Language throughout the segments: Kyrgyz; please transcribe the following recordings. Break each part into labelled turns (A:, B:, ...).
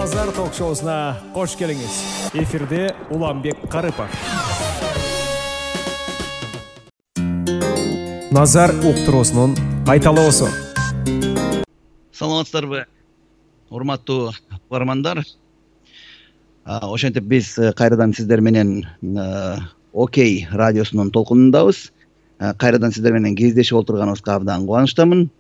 A: Назар ток-шоусуна кош келиңиз. Эфирде Уланбек Карыпов. Назар уктуруусунун кайталоосу.
B: Саламатсыздарбы, урматтуу угармандар. Ошентип биз кайрадан сиздер менен Окей радиосунун толкунундабыз. Кайрадан сиздер менен кездешип отурганыбызга абдан кубанычтамын.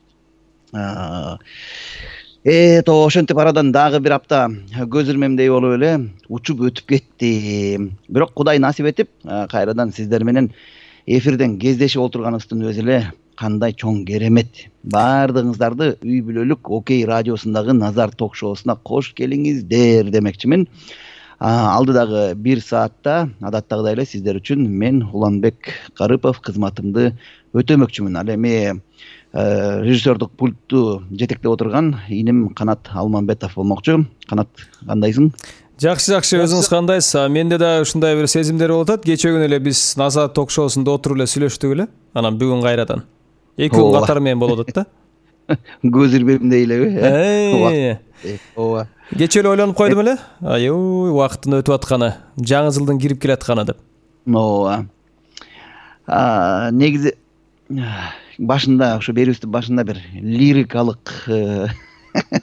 B: Ошентип арадан дагы бир апта көз ирмемдей болуп эле учуп өтүп кетти. Бирок Кудай насип этип кайрадан сиздер менен эфирден кездешип отурганыбыздын өзү эле кандай чоң керемет. Баардыгыңыздарды үй бүлөлүк Окей радиосундагы Назар ток-шоусуна кош келиңиздер демекчимин. Алдыдагы 1 саатта адаттагыдай эле сиздер үчүн мен Уланбек Карыпов кызматымды өтөмөкчүмүн. Ал эми режиссердук пультту жетектеп отурган иним Канат Алманбетов болмокчу. Канат, кандайсың?
A: Жакшы, өзүңүз кандайсыз? Менде да ушундай бир сезимдер болуп атат. Кечээ күнү эле биз Назар ток-шоусунда отуруп эле сүйлөштүк эле. Анан бүгүн кайрадан 2 күн катары менен болуп атат да.
B: Көз ирмемдей элеби? Ооба.
A: Кечээ эле ойлонуп койдум эле. Аябай убакыттын өтүп атканы, жаңы жылдын кирип келатканы деп.
B: Ооба. Негизи башында, ушу берүүбүздүн башында бир лирикалык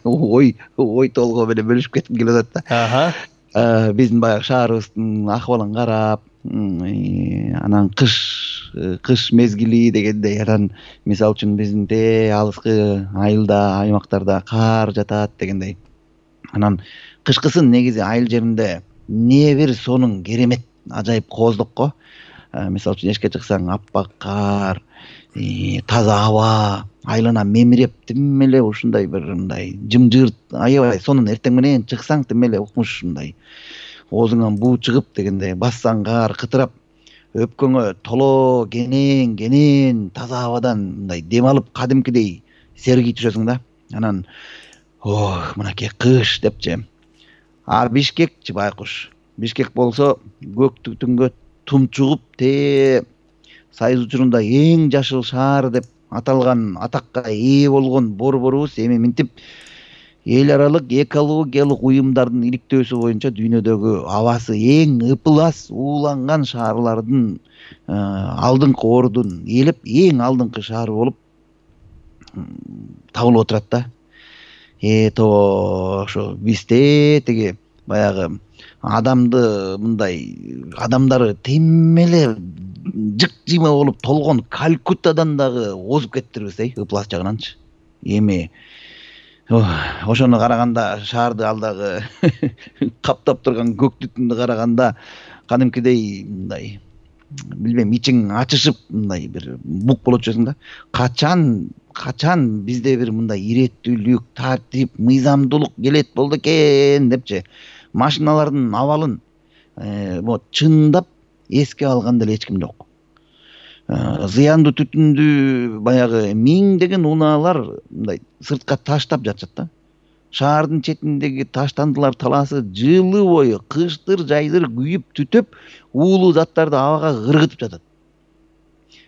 B: ой толгоо менен бөлүшүп кетким келип атат да. Биздин баягы шаарыбыздын акыбалын карап, анан кыш мезгили дегендей, анан мисалы үчүн биздин алыскы айылда, аймактарда кар жатат дегендей. Анан кышкысын негизи айыл жеринде не бир сонун керемет ажайып кооздокко. Мисалы үчүн эшикке чыксаң аппак кар, таза аба, айлана мемиреп, тим эле ушундай бир мындай жымжырт, аябай сонун. Эртең менен чыксаң тим эле укмуш ушундай оозуңан буу чыгып дегендей, бассаң кар кытырап, өпкөңө толо кенен таза абадан мындай дем алып кадимкидей сергий түшөсүң да. Анан мынакей кыш депчи. Бишкекчи байкуш. Бишкек болсо көк түтүнгө тумчугуп Сайыз учурунда эң жашыл шаар деп аталган атакка ээ болгон борборубуз эми минтип эл аралык экологиялык уюмдардын иликтөөсү боюнча дүйнөдөгү абасы эң ыпылас ууланган шаарлардын алдыңкы ордун ээлеп, эң алдыңкы шаар болуп табылып отурат да. Ошо бизде тиги баягы адамдары тим эле жык-жыйма болуп толгон Калькуттадан дагы озуп кеттирбиз, ыплас жагынанчы. Эми ошону караганда, шаарды алдагы каптап турган көк түтүндү караганда кадимкидей мындай билбейм, ичиң ачышып мындай бир бук болот жүрсүң да. Качан бизде бир мындай иреттүүлүк, тартип, мыйзамдуулук келет болду экен депчи. Машиналардын абалын чындап эске алган деле эч ким жок. Зыяндуу түтүндү баягы миңдеген унаалар мындай сыртка таштап жатышат да. Шаардын четиндеги таштандылар талаасы жылы бою кыштыр жайдыр күйүп түтөп, уулуу заттарды абага кыргытып жатат.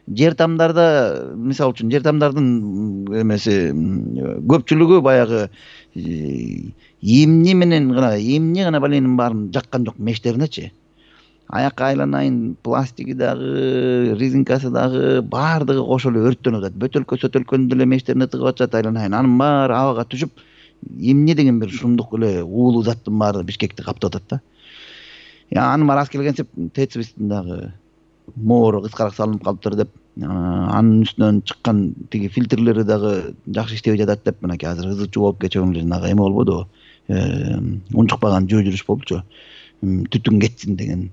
B: Жер тамдарда, мисалы үчүн, жер тамдардын эмеси көпчүлүгү баягы эмне гана баленин баарын жаккан жок мештеринечи. Аякка айланайын, пластиги дагы, резинкасы дагы баардыгы кошо эле өрттөнүп атат. Бөтөлкө деле мештерине тыгып атышат, айланайын. Анын баары абага түшүп, эмне деген бир шумдук эле уулуу заттын баары Бишкекти каптап атат да. Анын баары аз келгенсип ТЭЦибиздин дагы моору кыскараак салынып калыптыр деп, анын үстүнөн чыккан тиги фильтрлери дагы жакшы иштебей жатат деп, мынакей азыр ызы чуу болуп кечээ дагы эме болбодубу? Унчукпаган жөө жүрүш болчу. Түтүн кетсин деген.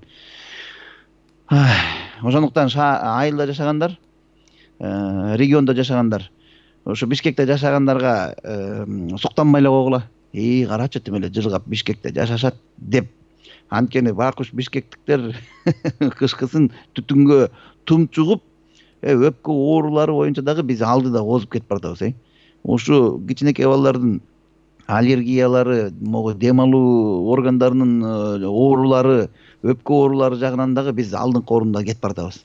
B: Ошондуктан айылда жашагандар, региондо жашагандар, ошо Бишкекте жашагандарга суктанбай эле койгула. Карачы, тим эле жылгап Бишкекте жашашат деп. Анткени байкуш бишкектиктер кышкысын түтүнгө тумчугуп, өпкө оорулары боюнча дагы биз алдыда озуп кетип баратабыз. Ушу кичинекей балдардын аллергиялары, могу дем алуу органдарынын оорулары, өпкө оорулары жагынан дагы биз алдыңкы орунда кетип баратабыз.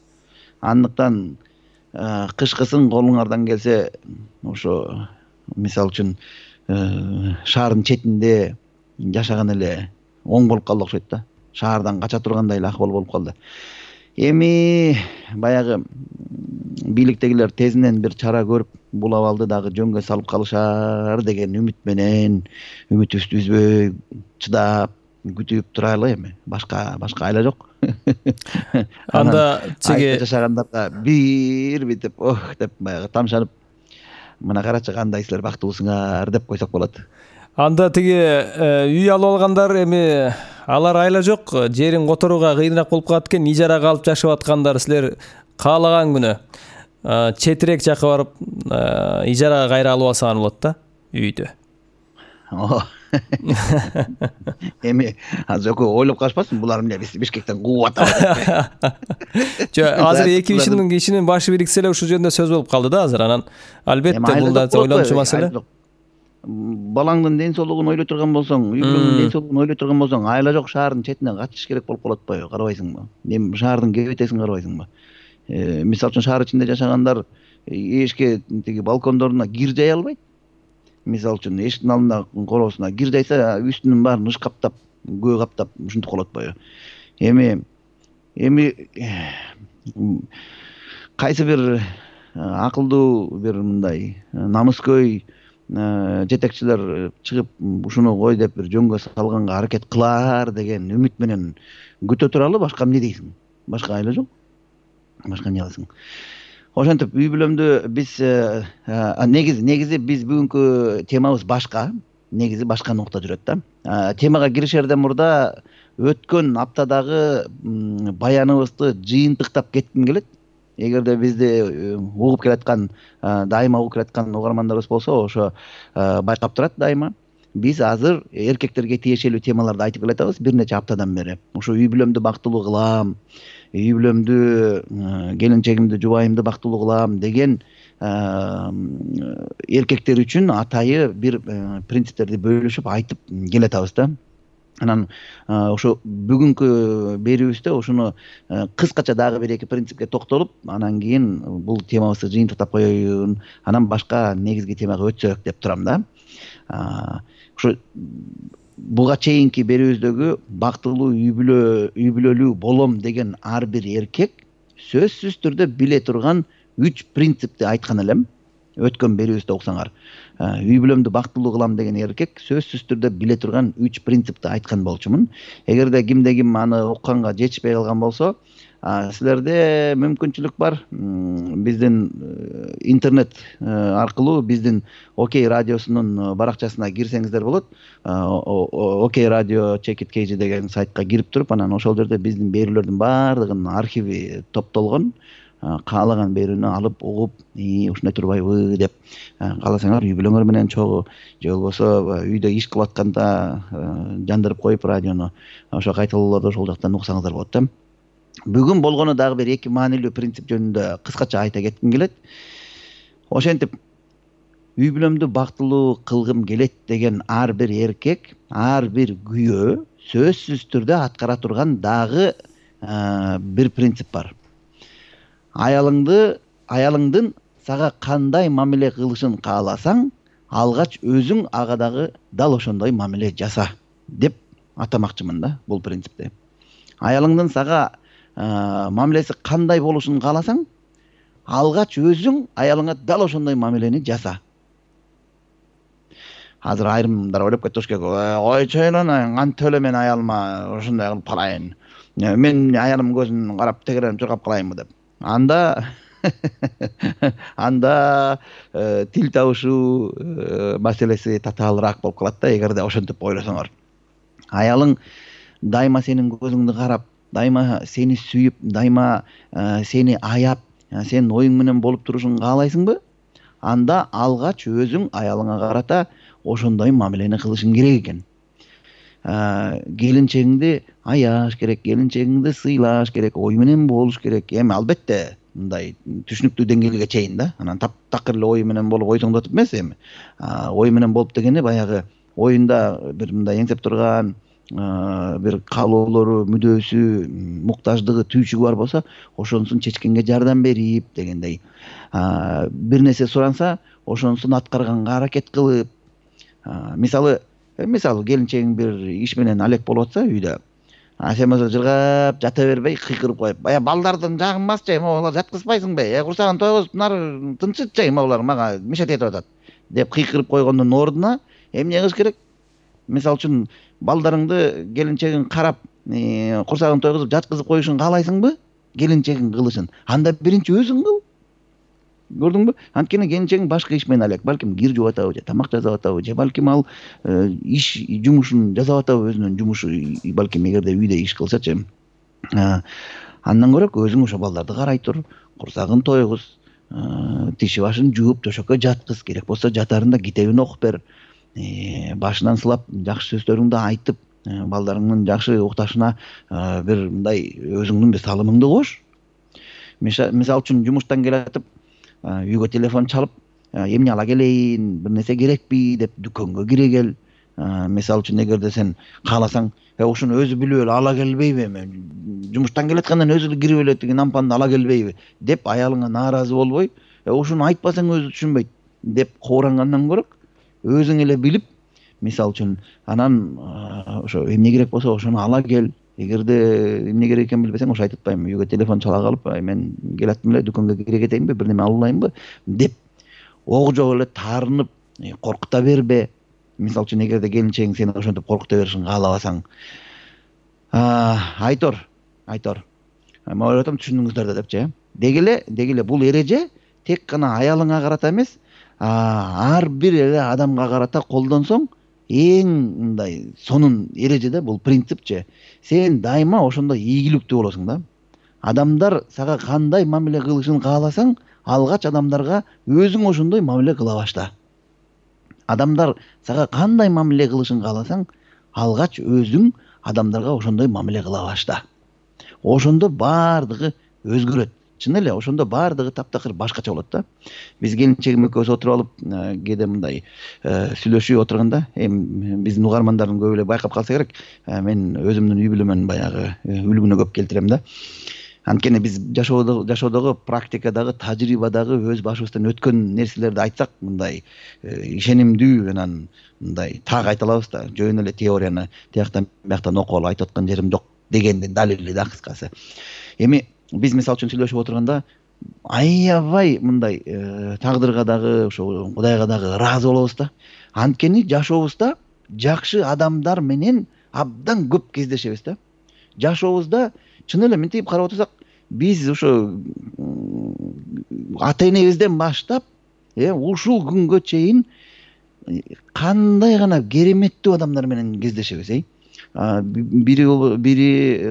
B: Андыктан кышкысын колуңардан келсе, ошо мисалы үчүн шаардын четинде жашаган эле оң болуп калды окшойт да. Шаардан кача тургандай эле акыбал болуп калды. Эми баягы бийликтегилер тезинен бир чара көрүп бул абалды дагы жөнгө салып калышар деген үмүт менен үмүтүбүздү үзбөй чыдап күтүп турайлы эми. Башка айла жок.
A: Анда чеге
B: жашагандарга бир бүтүп деп баягы тамшанып, мына карачы кандай силер бактылуусуңар деп койсок болот.
A: Анда тиги үй алып алгандар эми алар айла жок, жерин которууга кыйыныраак болуп калат экен, ижарага алып жашап аткандар силер каалаган күнү четирээк жакка барып ижарага кайра алып алсаңар болот да үйдү.
B: Эми азыр ойлоп калышпасын, булар эмне Бишкектен кууп атат.
A: Азыр эки кишинин башы бириксе эле ушул жөнүндө сөз болуп калды да азыр. Анан албетте бул да ойлончу маселе.
B: Балаңдын ден соолугун ойлой турган болсоң, үй бүлөңдүн ден соолугун ойлой турган болсоң, айла жок шаардын четине качыш керек болуп калат атпайбы, карабайсыңбы? Эми шаардын кебетесин карабайсыңбы? Мисалы үчүн шаар ичинде жашагандар эшикке тиги балкондоруна кир жая албайт. Мисалы үчүн эшиктин алдына короосуна кир жайса, үстүнүн баарын ыш каптап, көө каптап ушинтип калат атпайбы? Эми кайсы бир акылдуу бир мындай намыскөй жетекчилер чыгып ушуну кой деп бир жөнгө салганга аракет кылар деген үмүт менен күтө туралы. Башка эмне дейсиң? Башка айла жок. Башка эмне кыласың? Ошентип үй бүлөмдү биз негизи биз бүгүнкү темабыз башка. Негизи башка нукта жүрөт да. Темага киришерден мурда өткөн аптадагы баяныбызды жыйынтыктап кетким келет. Эгерде бизди угуп келаткан, дайыма угуп келаткан угармандарыбыз болсо, ошо байкап турат дайыма. Биз азыр эркектерге тиешелүү темаларды айтып келатабыз бир нече аптадан бери. Ошо үй бүлөмдү бактылуу кылам, үй бүлөмдү, келинчегимди, жубайымды бактылуу кылам деген эркектер үчүн атайы бир принциптерди бөлүшүп айтып келатабыз да. Анан ошо бүгүнкү берүүбүздө ошону кыскача дагы бир эки принципке токтолуп, анан кийин бул темабызды жыйынтыктап коеюн, анан башка негизги темага өтсөк деп турам да. Ошо буга чейинки берүүбүздөгү бактылуу үй бүлөлүү болом деген ар бир эркек сөзсүз түрдө биле турган 3 принципти айткан элем. Өткөн берүүбүздө окусаңар, үй бүлөмдү бактылуу кылам деген эркек сөзсүз түрдө биле турган 3 принципти айткан болчумун. Эгерде кимде ким аны укканга жетишпей калган болсо, силерде мүмкүнчүлүк бар. Биздин интернет аркылуу биздин Окей радиосунун баракчасына кирсеңиздер болот. Окей радио Check It KG деген сайтка кирип туруп, анан ошол жерде биздин берүүлөрдүн баардыгынын архиви топтолгон. Каалаган берүүнү алып угуп, ушундай турбайбы деп кааласаңар үй бүлөңөр менен чогуу, же болбосо үйдө иш кылып атканда жандырып коюп радиону, ошо кайталоолорду ошол жактан уксаңыздар болот да. Бүгүн болгону дагы бир эки маанилүү принцип жөнүндө кыскача айта кетким келет. Ошентип үй бүлөмдү бактылуу кылгым келет деген ар бир эркек, ар бир күйөө сөзсүз түрдө аткара турган дагы бир принцип бар. Аялыңдын сага кандай мамиле кылышын кааласаң, алгач өзүң ага дагы дал ошондой мамиле жаса деп атамакчымын да бул принципти. Аялыңдын сага мамилеси кандай болушун кааласаң, алгач өзүң аялыңа дал ошондой мамилени жаса. Азыр айрымдар ойлоп кетиш керек. Ойчойнун, кантип эле мен аялыма ошондой кылып калайын. Мен аялым көзүн карап тегеренип чуркап калайынбы деп. Анда тил табышуу маселеси татаалыраак болуп калат да, эгерде ошентип ойлосоңор. Аялың дайыма сенин көзүңдү карап, дайыма сени сүйүп, дайыма сени аяп, сенин оюң менен болуп турушун каалайсыңбы? Анда алгач өзүң аялыңа карата ошондой мамилени кылышың керек экен. Келинчегиңди аяш керек, келинчегиңди сыйлаш керек, ой менен болуш керек. Эми албетте мындай түшүнүктүү деңгээлге чейин да. Анан такыр эле ой менен болуп ойсоңдотуп эмес эми. Ой менен болуп дегени баягы оюнда бир мындай эңсеп турган бир каалоолору, мүдөөсү, муктаждыгы, түйчүгү бар болсо, ошонусун чечкенге жардам берип дегендей. Бир нерсе суранса, ошонусун аткарганга аракет кылып, мисалы мисалы келинчегиң бир иш менен алек болуп атса үйдө, сен болсо жыргап жата бербей кыйкырып коюп, балдардын жагын басчы, могулар жаткызбайсыңбы, курсагын тойгуз, булар тынчытчы, могулар мага мешать этип атат деп кыйкырып койгондун ордуна эмне кылыш керек? Мисалы үчүн балдарыңды, келинчегиң карап, курсагын тойгузуп жаткызып коюшун каалайсыңбы? Келинчегиң кылышын. Анда биринчи өзүң кыл. Көрдүңбү? Анткени келинчегиң башка иш менен алек. Балким кир жууп атабы, же тамак жасап атабы, же балким ал иш жумушун жасап атабы, өзүнүн жумушу, балким эгерде үйдө иш кылсачы. Андан көрө өзүң ошо балдарды карай тур, курсагын тойгуз, тиши башын жууп, төшөккө жаткыз, керек болсо жатарында китебин окуп бер. Башынан сылап, жакшы сөздөрүңдү айтып, балдарыңдын жакшы укташына бир мындай өзүңдүн бир салымыңды кош. Мисалы үчүн жумуштан келатып, үйгө телефон чалып, эмне ала келейин, бир нерсе керекпи деп дүкөнгө кире кел. Мисалы үчүн эгерде сен кааласаң, ушуну өзү билип эле ала келбейби, жумуштан келаткандан өзү эле кирип эле тиги нампанды ала келбейби деп аялыңа нааразы болбой, ушуну айтпасаң өзү түшүнбөйт деп коорангандан көрө, өзүң эле билип, мисалы үчүн анан ошо эмне керек болсо ошону ала кел. Эгерде эмне керек экенин билбесең, ошо айтып атпаймынбы, үйгө телефон чала калып, мен келаттым эле, дүкөнгө кире кетейинби, бир неме алып алайынбы деп ого эле таарынып, коркута бербе. Мисалы үчүн эгерде келинчегиң сени ошентип коркута беришин каалабасаң, айтор. Мен ойлоп атам, түшүндүңүздөр да депчи. Деги эле бул эреже тек гана аялыңа карата эмес, ар бир эле адамга карата колдонсоң, эң мындай сонун эреже да, бул принципчи. Сен дайыма ошондой ийгиликтүү болосуң да. Адамдар сага кандай мамиле кылышын кааласаң, алгач адамдарга өзүң ошондой мамиле кыла башта. Адамдар сага кандай мамиле кылышын кааласаң, алгач өзүң адамдарга ошондой мамиле кыла башта. Ошондо баардыгы өзгөрөт. Чын эле, ошондо баардыгы таптакыр башкача болот да. Биз келинчегим экөөбүз отуруп алып, кээде мындай сүйлөшүп отурганда, биздин угармандардын көбү эле байкап калса керек, мен өзүмдүн үй бүлөмөн баягы үлгүнө көп келтирем да. Анткени биз жашоодогу, практикадагы, тажрыйбадагы өз башыбыздан өткөн нерселерди айтсак, мындай ишенимдүү, анан мындай так айта алабыз да. Жөн эле теорияны тияктан бияктан окуп алып айтып аткан жерим жок дегендин далили да, кыскасы. Эми биз мисалы үчүн сүйлөшүп отурганда аябай мындай тагдырга дагы, ошо Кудайга дагы ыраазы болобуз да. Анткени жашообузда жакшы адамдар менен абдан көп кездешебиз да. Жашообузда чын эле мынтип карап отурсак, биз ошо ата энебизден баштап, ушул күнгө чейин кандай гана кереметтүү адамдар менен кездешебиз, бири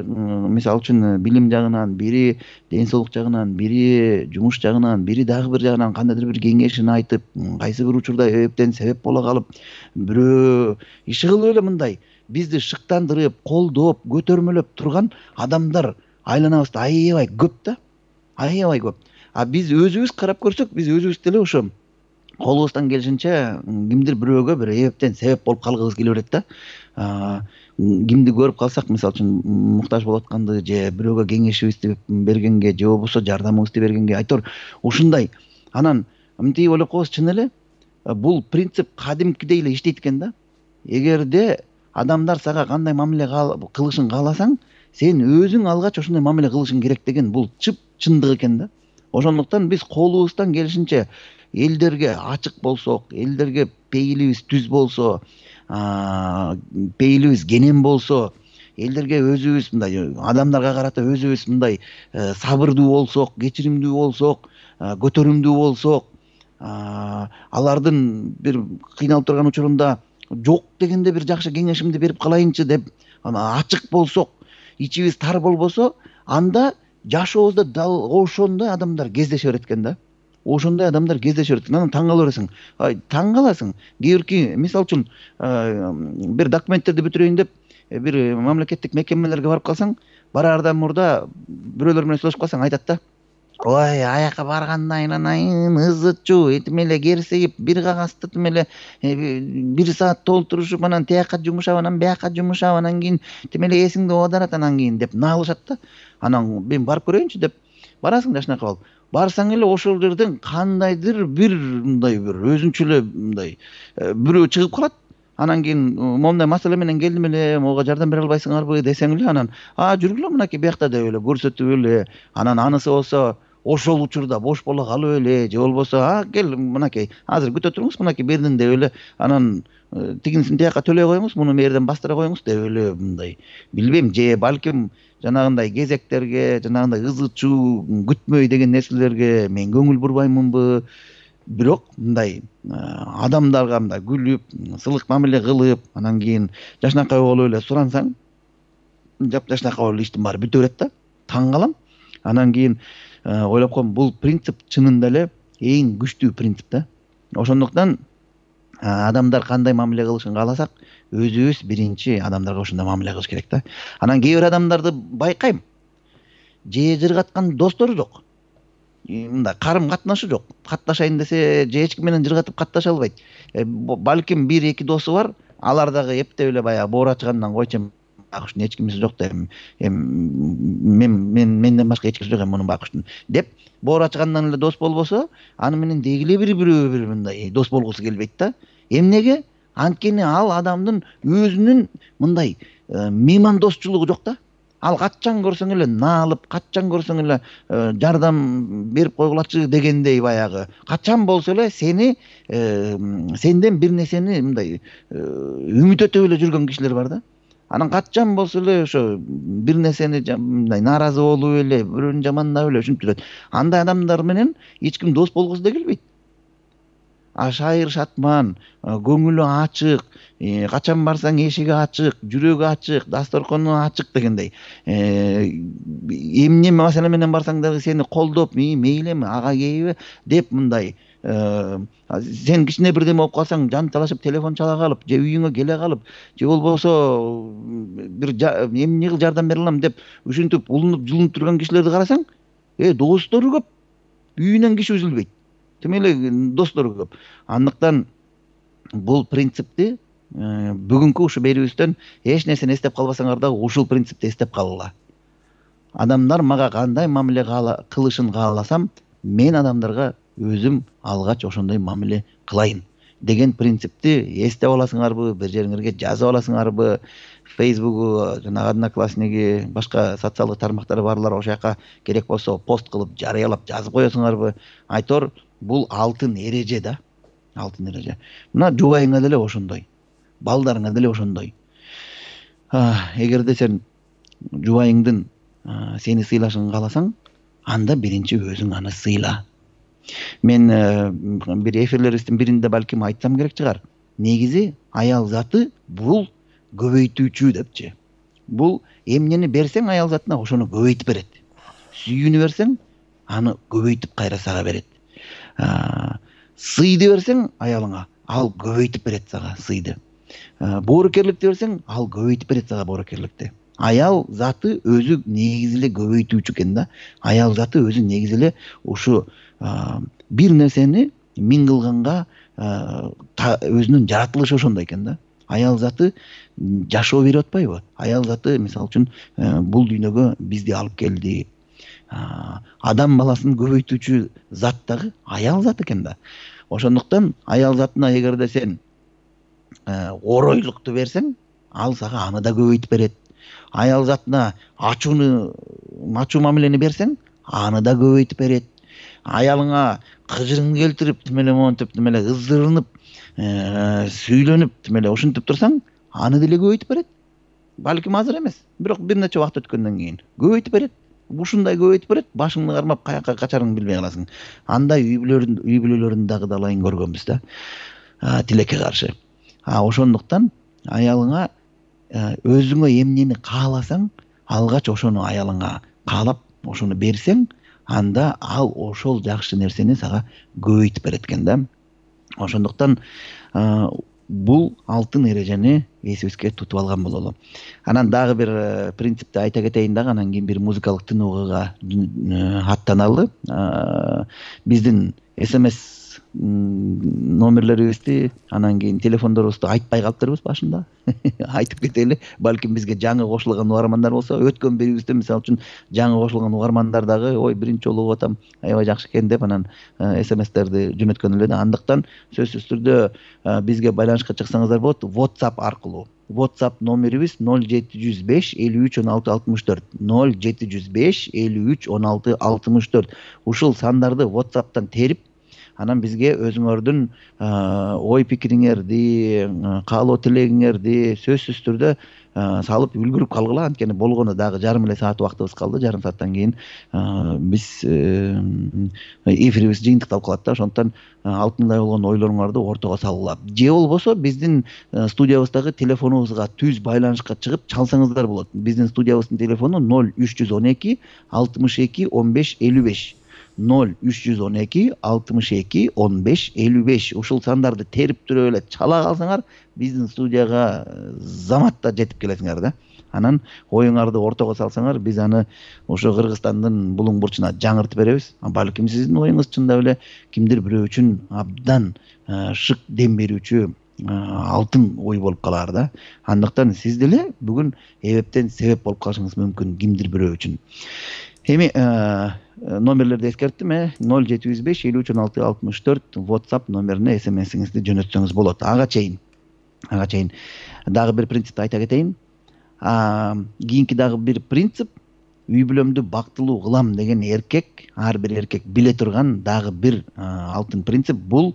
B: мисалы үчүн билим жагынан, бири ден соолук жагынан, бири жумуш жагынан, бири дагы бир жагынан кандайдыр бир кеңешин айтып, кайсы бир учурда эптен себеп боло калып, бирөө иши кылып эле мындай бизди шыктандырып, колдоп, көтөрмөлөп турган адамдар айланабызда аябай көп да, аябай көп. Биз өзүбүз карап көрсөк, биз өзүбүз деле ошо колубуздан келишинче кимдир бирөөгө бир эптен себеп болуп калгыбыз келе берет да. Кимди көрүп калсак, мисалы үчүн муктаж болуп атканды, же бирөөгө кеңешибизди бергенге, же болбосо жардамыбызды бергенге айтор ушундай. Анан мынтип ойлоп коебуз, чын эле бул принцип кадимкидей эле иштейт экен да. Эгерде адамдар сага кандай мамиле кылышын кааласаң, сен өзүң алгач ошондой мамиле кылышың керек деген бул чындык экен да. Ошондуктан биз колубуздан келишинче элдерге ачык болсок, элдерге пейилибиз түз болсо, пейилибиз кенен болсо, элдерге өзүбүз мындай адамдарга карата өзүбүз мындай сабырдуу болсок, кечиримдүү болсок, көтөрүмдүү болсок, алардын бир кыйналып турган учурунда жок дегенде бир жакшы кеңешимди берип калайынчы деп ачык болсок, ичибиз тар болбосо, анда жашообузда дал ошондой адамдар кездеше берет экен да. Ошондой адамдар кездеше берет. Анан таң кала бересиң. Таң каласың. Кийинки, мисалы үчүн, бир документтерди бүтүрөйүн деп бир мамлекеттик мекемелерге барып калсаң, бараардан мурда бирөөлөр менен сүйлөшүп калсаң, айтат да: "Ой, аяка барганда айнанайын, ызычуу, этим эле керсейип, бир кагазды тим эле 1 саат толтурушуп, анан тияка жумушап, анан бияка жумушап, анан кийин тим эле эсиңди оодарат, анан кийин" деп наалышат да. Анан мен барып көрөйүнчү деп барасың жашынакы болуп. Барсаң эле ошол жерден кандайдыр бир мындай бир өзүнчө эле мындай бирөө чыгып калат. анан кийин моундай маселе менен келдим эле, мага жардам бере албайсыңарбы десең эле, анан жүргүлө мынакей биякта деп эле көрсөтүп эле, анан анысы болсо ошол учурда бош боло калып эле, же болбосо кел мынакей азыр күтө туруңуз, мынакей бердим деп эле, анан тигинисин тияка төлөй коюңуз, муну мээрден бастыра коюңуз деп эле мындай билбейм, же балким жанагындай кезектерге, жанагындай ызы чуу күтмөй деген нерселерге мен көңүл бурбаймынбы. Бирок мындай адамдарга мындай күлүп, сылык мамиле кылып, анан кийин жашнакай болуп эле сурансаң, жашнакай болуп иштин баары бүтө берет да. Таң калам. Анан кийин ойлоп коем, бул принцип чынында эле эң күчтүү принцип да. Ошондуктан адамдар кандай мамиле кылышын кааласак, өзүбүз биринчи адамдарга ошондой мамиле кылыш керек да. Анан кээ бир адамдарды байкайм, же жыргаткан достору жок, мындай карым катнашы жок, катташайын десе же эч ким менен жыргатып катташа албайт. Балким 1-2 досу бар, алар дагы эптеп эле баягы боор ачкандан койчу, Бакуштун эч кимиси жок да, менден башка эч кимиси жок мунун Бакуштун деп боор ачкандан эле дос болбосо, аны менен дегиле бир мындай дос болгусу келбейт да. Эмнеге? Анткени ал адамдын өзүнүн мындай меймандосчулугу жок да. Ал качан көрсөң эле наалып, качан көрсөң эле жардам берип койгулачы дегендей баягы. Качан болсо эле сенден бир нерсени мындай үмүт өтүп эле жүргөн кишилер бар да. Анан качан болсо эле ошо бир нерсени мындай нааразы болуп эле, бирөөнү жамандап эле ушинтип жүрөт. Андай адамдар менен эч ким дос болгусу да келбейт. Шайыр шатман, көңүлү ачык, качан барсаң эшиги ачык, жүрөгү ачык, дасторкону ачык дегендей. Эмне маселе менен барсаң дагы сени колдоп, мейлиби, ага кейби деп мындай сен кичине бирдеме болуп калсаң жан талашып телефон чала калып, же үйүңө келе калып, же болбосо бир эмне кыл жардам бере алам деп ушинтип улунуп жылынып турган кишилерди карасаң, достору көп, үйүнөн киши үзүлбөйт. Тим эле достору көп. Андыктан бул принципти бүгүнкү ушу берүүбүздөн эч нерсени эстеп калбасаңар дагы ушул принципти эстеп калгыла. Адамдар мага кандай мамиле кылышын кааласам, мен адамдарга өзүм алгач ошондой мамиле кылайын деген принципти эстеп аласыңарбы, бир жериңерге жазып аласыңарбы, Facebook, жанагы Одноклассники, башка социалдык тармактары барлар, ошол жака керек болсо пост кылып, жарыялап жазып коесуңарбы. Айтор, бул алтын эреже да. Алтын эреже. Мына жубайыңа деле ошондой, балдарыңа деле ошондой. Эгерде сен жубайыңдын сени сыйлашын кааласаң, анда биринчи өзүң аны сыйла. Мен бир эфирлерибиздин биринде балким айтсам керек чыгар. Негизи аял заты бул көбөйтүүчү депчи. Бул эмнени берсең аял затына ошону көбөйтүп берет. Сүйүүнү берсең, аны көбөйтүп кайра сага берет. Сыйды берсең аялыңа, ал көбөйтүп берет сага сыйды. Боорукерликти берсең, ал көбөйтүп берет сага боорукерликти. Аял заты өзү негизи эле көбөйтүүчү экен да. Аял заты өзү негизи эле ушу бир нерсени миң кылганга өзүнүн жаратылышы ошондой экен да. Аял заты жашоо берип атпайбы? Аял заты мисалы үчүн бул дүйнөгө бизди алып келди. Адам баласын көбөйтүүчү зат дагы аял зат экен да. Ошондуктан аял затына эгерде сен оройлукту берсең, ал сага аны да көбөйтүп берет. Аял затына ачуу мамилени берсең, аны да көбөйтүп берет. Аялыңа кыжырыңды келтирип, тим эле монтип, тим эле ыздырынып, сүйлөнүп, тим эле ушинтип турсаң, аны деле көбөйтүп берет. Балким азыр эмес, бирок бир нече убакыт өткөндөн кийин көбөйтүп берет. Ушундай көбөйтүп берет, башыңды кармап каяка качарыңды билбей каласың. Андай үй бүлөлөрүн дагы далайын көргөнбүз да. Тилекке каршы. Ошондуктан аялыңа өзүңө эмнени кааласаң, алгач ошону аялыңа каалап, ошону берсең, анда ал ошол жакшы нерсени сага көбөйтүп берет экен да. Ошондуктан бул алтын эрежени эсибизге тутуп алган бололу. Анан дагы бир принципти айта кетейин дагы, анан кийин бир музыкалык тынууга аттаналы. Биздин SMS номерлерибизди анан кийин телефондорубузду айтпай калыптырбыз башында. Айтып кетели, балким бизге жаңы кошулган угармандар болсо, өткөн берүүбүздө мисалы үчүн жаңы кошулган угармандар дагы ой биринчи жолу угуп атам, аябай жакшы экен деп анан смстерди жөнөткөн эле да. Андыктан сөзсүз түрдө бизге байланышка чыксаңыздар болот WhatsApp аркылуу. WhatsApp номерибиз 0705 53 16 64 0705 53 16 64. Ушул сандарды WhatsApp'тан терип, анан бизге өзүңөрдүн ой пикириңерди, каалоо тилегиңерди сөзсүз түрдө салып үлгүрүп калгыла. Анткени болгону дагы жарым эле саат убактыбыз калды. Жарым сааттан кийин биз эфирибиз жыйынтыкталып калат да. Ошондуктан алтындай болгон ойлоруңарды ортого салгыла. Же болбосо биздин студиябыздагы телефонубузга түз байланышка чыгып чалсаңыздар болот. Биздин студиябыздын телефону 0312 62 15 55. 0312 62 15 55. Ушул сандарды терип туруп эле чала калсаңар, биздин студияга заматта жетип келесиңер да. Анан оюңарды ортого салсаңар, биз аны ошо Кыргызстандын булуң бурчуна жаңыртып беребиз. Балким сиздин оюңуз чындап эле кимдир бирөө үчүн абдан шык дем берүүчү алтын ой болуп калар да. Андыктан сиз деле бүгүн эбептен себеп болуп калышыңыз мүмкүн кимдир бирөө үчүн. Эми номерлерди эскерттим. 0705 53 16 64 WhatsApp номерине смсиңизди жөнөтсөңүз болот. Ага чейин дагы бир принципти айта кетейин. Кийинки дагы бир принцип, үй бүлөмдү бактылуу кылам деген эркек, ар бир эркек биле турган дагы бир алтын принцип бул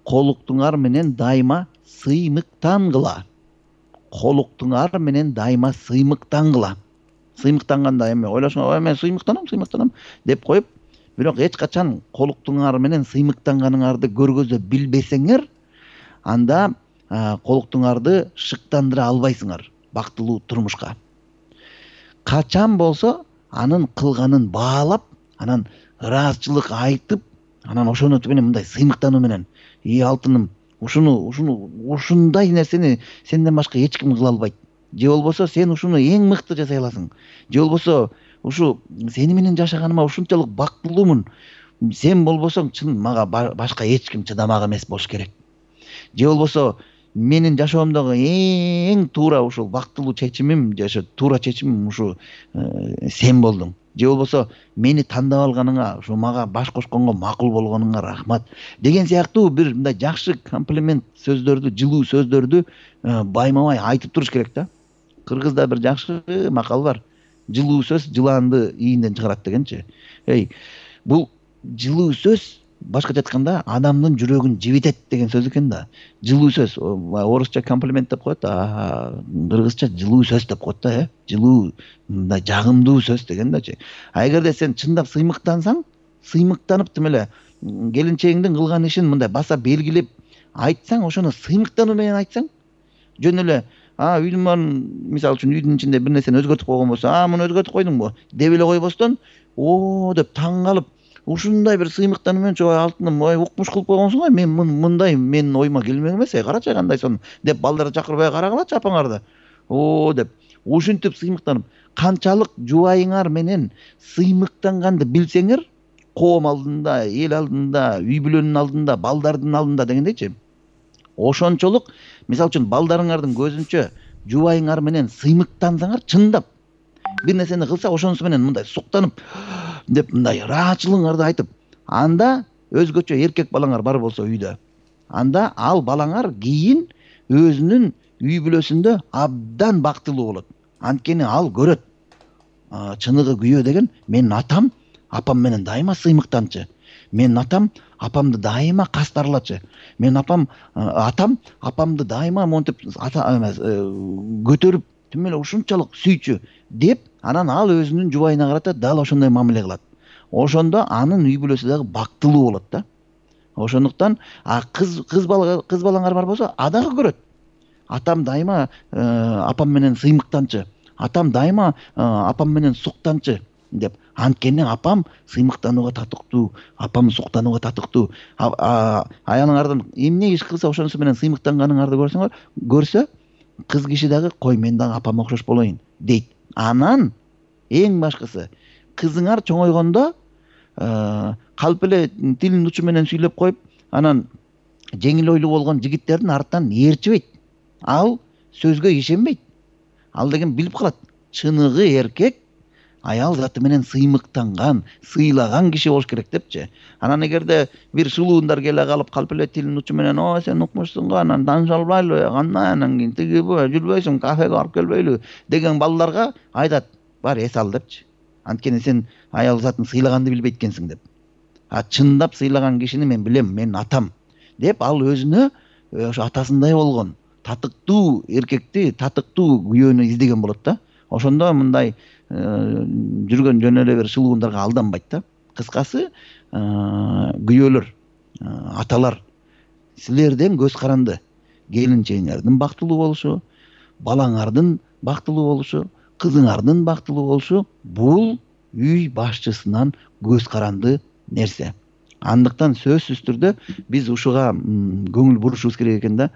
B: колуктуңар менен дайыма сыймыктангыла. Колуктуңар менен дайыма сыймыктангыла. Сыймыктанганда эми ойлошуңар, мен сыймыктанам деп коюп, бирок эч качан колуктуңар менен сыймыктанганыңарды көргөзө билбесеңер, анда колуктуңарды шыктандыра албайсыңар бактылуу турмушка. Качан болсо анын кылганын баалап, анан ыраазычылык айтып, анан ошону менен мындай сыймыктануу менен, алтыным, ушундай нерсени сенден башка эч ким кыла албайт. Же болбосо сен ушуну эң мыкты жасай аласың. Же болбосо ушу сени менен жашаганыма ушунчалык бактылуумун. Сен болбосоң чын мага башка эч ким чыдамак эмес болуш керек. Же болбосо менин жашоомдогу эң туура ушул бактылуу чечимим, же туура чечимим ушу сен болдуң. Же болбосо мени тандап алганыңа, ушу мага баш кошконго макул болгонуңа рахмат деген сыяктуу бир мындай жакшы комплимент сөздөрдү, жылуу сөздөрдү байма-бай айтып туруш керек да. Кыргызда бир жакшы макал бар. Жылуу сөз жылаанды ийинден чыгарат дегенчи. Бул жылуу сөз башкача айтканда адамдын жүрөгүн жибитет деген сөз экен да. Жылуу сөз, орусча комплимент деп коет, кыргызча жылуу сөз деп коет да, жылуу, мындай жагымдуу сөз деген дачы. Эгерде сен чындап сыймыктансаң, сыймыктанып тим эле келинчегиңдин кылган ишин мындай баса белгилеп айтсаң, ошону сыймыктануу менен айтсаң, жөн эле үйдүн мисалы үчүн үйдүн ичинде бир нерсени өзгөртүп койгон болсо, муну өзгөртүп койдуңбу деп эле койбостон, деп таң калып, ушундай бир сыймыктануу менен алтыным, укмуш кылып койгонсуң, мен мындай менин оюма келмек эмес, карачы кандайсың деп балдарды чакырып, карагылачы апаңарды. Деп ушинтип сыймыктанып, канчалык жубайыңар менен сыймыктанганды билсеңер, коом алдында, эл алдында, үй бүлөнүн алдында, балдардын алдында дегендейчи. Ошончолук, мисалы үчүн балдарыңардын көзүнчө жубайыңар менен сыймыктансаңар, чындап бир нерсени кылса, ошонусу менен мындай суктанып деп мындай ыраачылыгыңарды айтып, анда өзгөчө эркек балаңар бар болсо үйдө, анда ал балаңар кийин өзүнүн үй бүлөсүндө абдан бактылуу болот. Анткени ал көрөт. Чыныгы күйөө деген менин атам, апам менен дайыма сыймыктанчы. Менин атам апамды дайыма кастарлачы. Менин атам апамды дайыма монтип көтөрүп, тим эле ушунчалык сүйчү деп, анан ал өзүнүн жубайына карата дал ошондой мамиле кылат. Ошондо анын үй бүлөсү дагы бактылуу болот да. Ошондуктан кыз балаңар бар болсо, дагы көрөт. Атам дайыма апам менен сыймыктанчы. Атам дайыма апам менен суктанчы деп. Анткени апам сыймыктанууга татыктуу, апам суктанууга татыктуу. Аялыңардан эмне иш кылса ошонусу менен сыймыктанганыңарды көрсө, кыз киши дагы кой мен дагы апама окшош болоюн дейт. Анан эң башкысы, кызыңар чоңойгондо калп эле тилинин учу менен сүйлөп коюп анан жеңил ойлуу болгон жигиттердин артынан ээрчибейт. Ал сөзгө ишенбейт. Ал деген билип калат. Чыныгы эркек аял заты менен сыймыктанган, сыйлаган киши болуш керек депчи. Анан эгерде бир шылуундар келе калып калп эле тилинин учу менен сен укмушсуң го, анан тааныша албайлы, кандай анан кийин тигиби, жүрбөйсүң, кафеге барып келбейлү деген балдарга айтат, бар эс ал депчи. Анткени сен аял затын сыйлаганды билбейт экенсиң деп. Чындап сыйлаган кишини мен билем, менин атам деп ал өзүнө ошо атасындай болгон татыктуу эркекти, татыктуу күйөөнү издеген болот да. Ошондо мындай жүргөн жөн эле бир шылуундарга алданбайт да. Кыскасы, күйөөлөр, аталар, силерден көз каранды. Келинчегиңердин бактылуу болушу, балаңардын бактылуу болушу, кызыңардын бактылуу болушу бул үй башчысынан көз каранды нерсе. Андыктан сөзсүз түрдө биз ушуга көңүл бурушубуз керек экен да.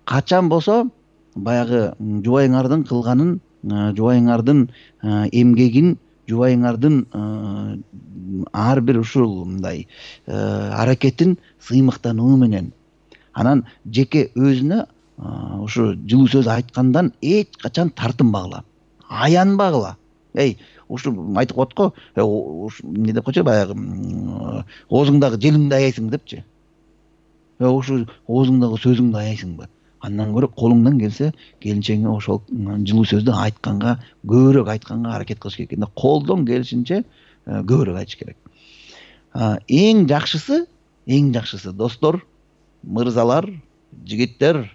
B: Качан болсо баягы жубайыңардын кылганын, жубайыңардын эмгегин, жубайыңардын ар бир ушул мындай аракетин сыймыктануу менен анан жеке өзүнө ушу жылуу сөз айткандан эч качан тартынбагыла, аянбагыла. Ушу айтып коет го, эмне деп койчу баягы оозуңдагы желиңди аяйсың депчи. Ушу оозуңдагы сөзүңдү аяйсыңбы? Андан көрө колуңдан келсе келинчегиңе ошол жылуу сөздү айтканга, көбүрөөк айтканга аракет кылыш керек экен да. Колдон келишинче көбүрөөк айтыш керек. Эң жакшысы достор, мырзалар, жигиттер,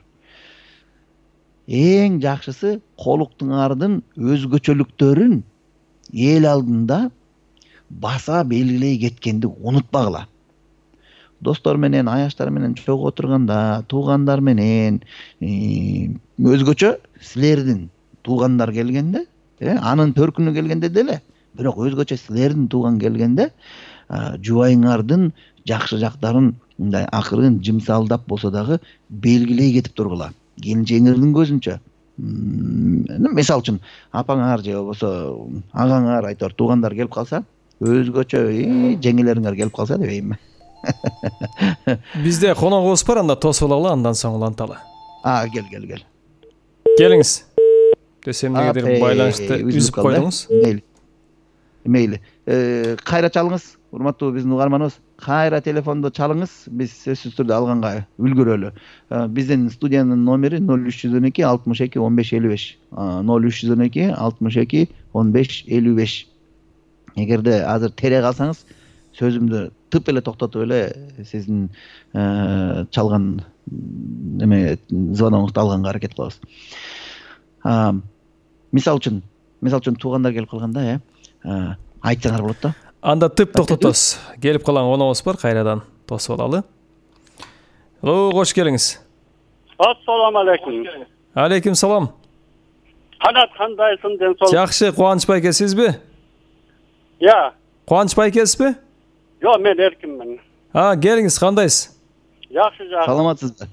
B: эң жакшысы колуктуңардын өзгөчөлүктөрүн эл алдында баса белгилей кеткенди унутпагыла. Достор менен, аяштар менен чогуу отурганда, туугандар менен өзгөчө силердин туугандар келгенде, анын төркүнү келгенде деле, бирок өзгөчө силердин тууган келгенде жубайыңардын жакшы жактарын мындай акырын жымсалдап болсо дагы белгилей кетип тургула. Келинчегиңердин көзүнчө. Мисалы үчүн апаңар же болбосо агаңар, айтор туугандар келип калса, өзгөчө жеңелериңер келип калса дебеймби?
A: Бизде коногубуз бар, анда тосуп алалы, андан соң уланталы.
B: Кел.
A: Келиңиз. Десем эмнегедир байланышты үзүп койдуңуз.
B: Мейли. Кайра чалыңыз, урматтуу биздин угарманыбыз. Кайра телефонду чалыңыз, биз сөзсүз түрдө алганга үлгүрөлү. Биздин студиянын номери 0312 62 15 55. 0312 62 15 55. Эгерде азыр тере калсаңыз, сөзүмдү тып эле токтотуп эле сиздин чалган звоногуңузду алганга аракет кылабыз. Мисалы үчүн туугандар келип калганда, айтсаңар болот да.
A: Анда тып токтотосуз. Келип калган коногубуз бар, кайрадан тосуп алалы. Кош келиңиз.
C: Ассаламу алейкум.
A: Алейкум салам.
C: Канат кандайсың, ден сол?
A: Жакшы, Кубаныч байке, сизби? Кубаныч байкесизби?
C: Жок, мен эркинмин.
A: Келиңиз, кандайсыз?
C: Жакшы.
B: Саламатсызбы?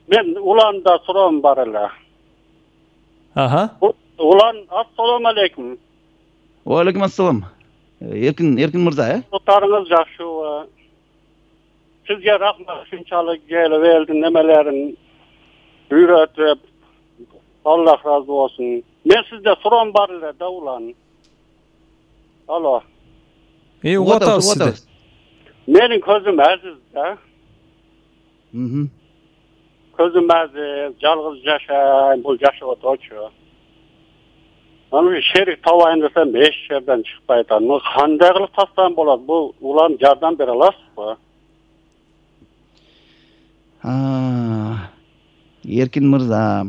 C: Мен уланда суроом бар эле. Улан, ассаламу алейкум.
B: Алейкум ассалам. Эркин мырза,
C: Отарыңыз жакшыбы? Сизге рахмат, ушунчалык келип элдин немелерин үйрөтүп, Аллах разы болсун. Мен сизде суроом бар эле да, улан. Алло.
A: Угатабыз сизди.
C: Менин көзүм азиз да. Көзүм азиз, жалгыз жашайм, бул жашап отурчу. Аны шерик табайын десем, эч жерден чыкпайт. Аны кандай кылып тастасам болот? Бул улам жардам бере аласызбы?
B: Эркин мырза.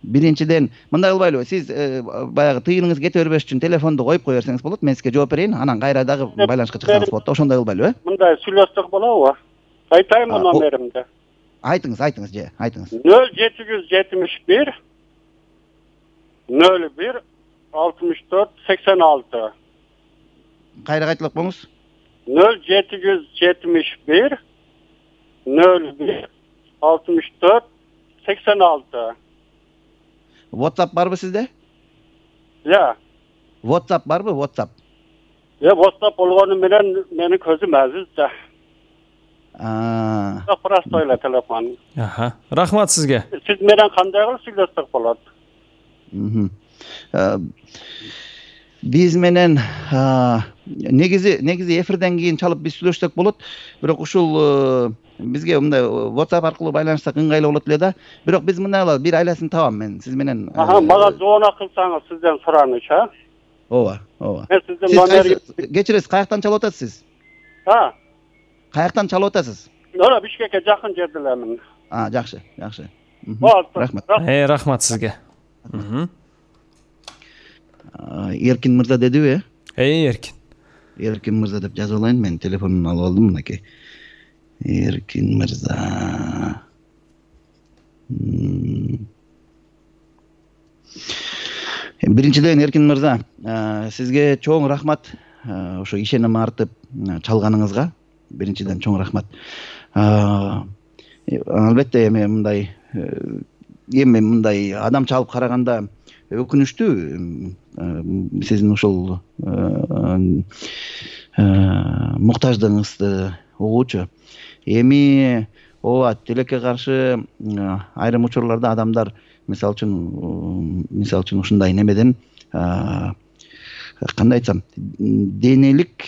B: Биринчиден, мындай кылбайлыбы? Сиз баягы тыйыныңыз кете бербеш үчүн телефонду коюп кое берсеңиз болот. Мен сизге жооп берейин, анан кайра дагы байланышка чыксаңыз болот да. Ошондой кылбайлыбы?
C: Мындай сүйлөсөк болобу? Айтайынбы номеримди?
B: Айтыңыз.
C: 0771 01 64 86.
B: Кайра кайталап коюңуз.
C: 0771 01 64 86.
B: WhatsApp барбы сизде? WhatsApp барбы? WhatsApp
C: болгону менен менин көзүм азиз да. Простой эле телефон.
A: Рахмат сизге.
C: Сиз менен кандай кылып сүйлөшсөк болот?
B: Биз менен негизи эфирден кийин чалып биз сүйлөшсөк болот. Бирок ушул бизге мындай WhatsApp аркылуу байланышсак ыңгайлуу болот эле да. Бирок биз мындай кылабыз, бир айласын табам мен сиз менен.
C: Мага звонок кылсаңыз сизден сураныч,
B: Ооба.
C: Мен сиздин номерди
B: кечиресиз, каяктан чалып атасыз? Каяктан чалып атасыз?
C: Бишкекке жакын жерде элемин.
B: Жакшы.
C: Рахмат.
A: Рахмат сизге.
B: Эркин мырза дедиби?
A: Эркин
B: мырза деп жазып алайын, мен телефонун алып алдым мынакей. Эркин мырза. Биринчиден Эркин мырза, сизге чоң рахмат. Ошо ишеним артып чалганыңызга биринчиден чоң рахмат. Албетте эми мындай адам чалып караганда өкүнүчтүү. Сиздин ушул муктаждыгыңызды угуучу. Эми ооба, тилекке каршы айрым учурларда адамдар мисалы үчүн ушундай немеден кандай айтсам, денелик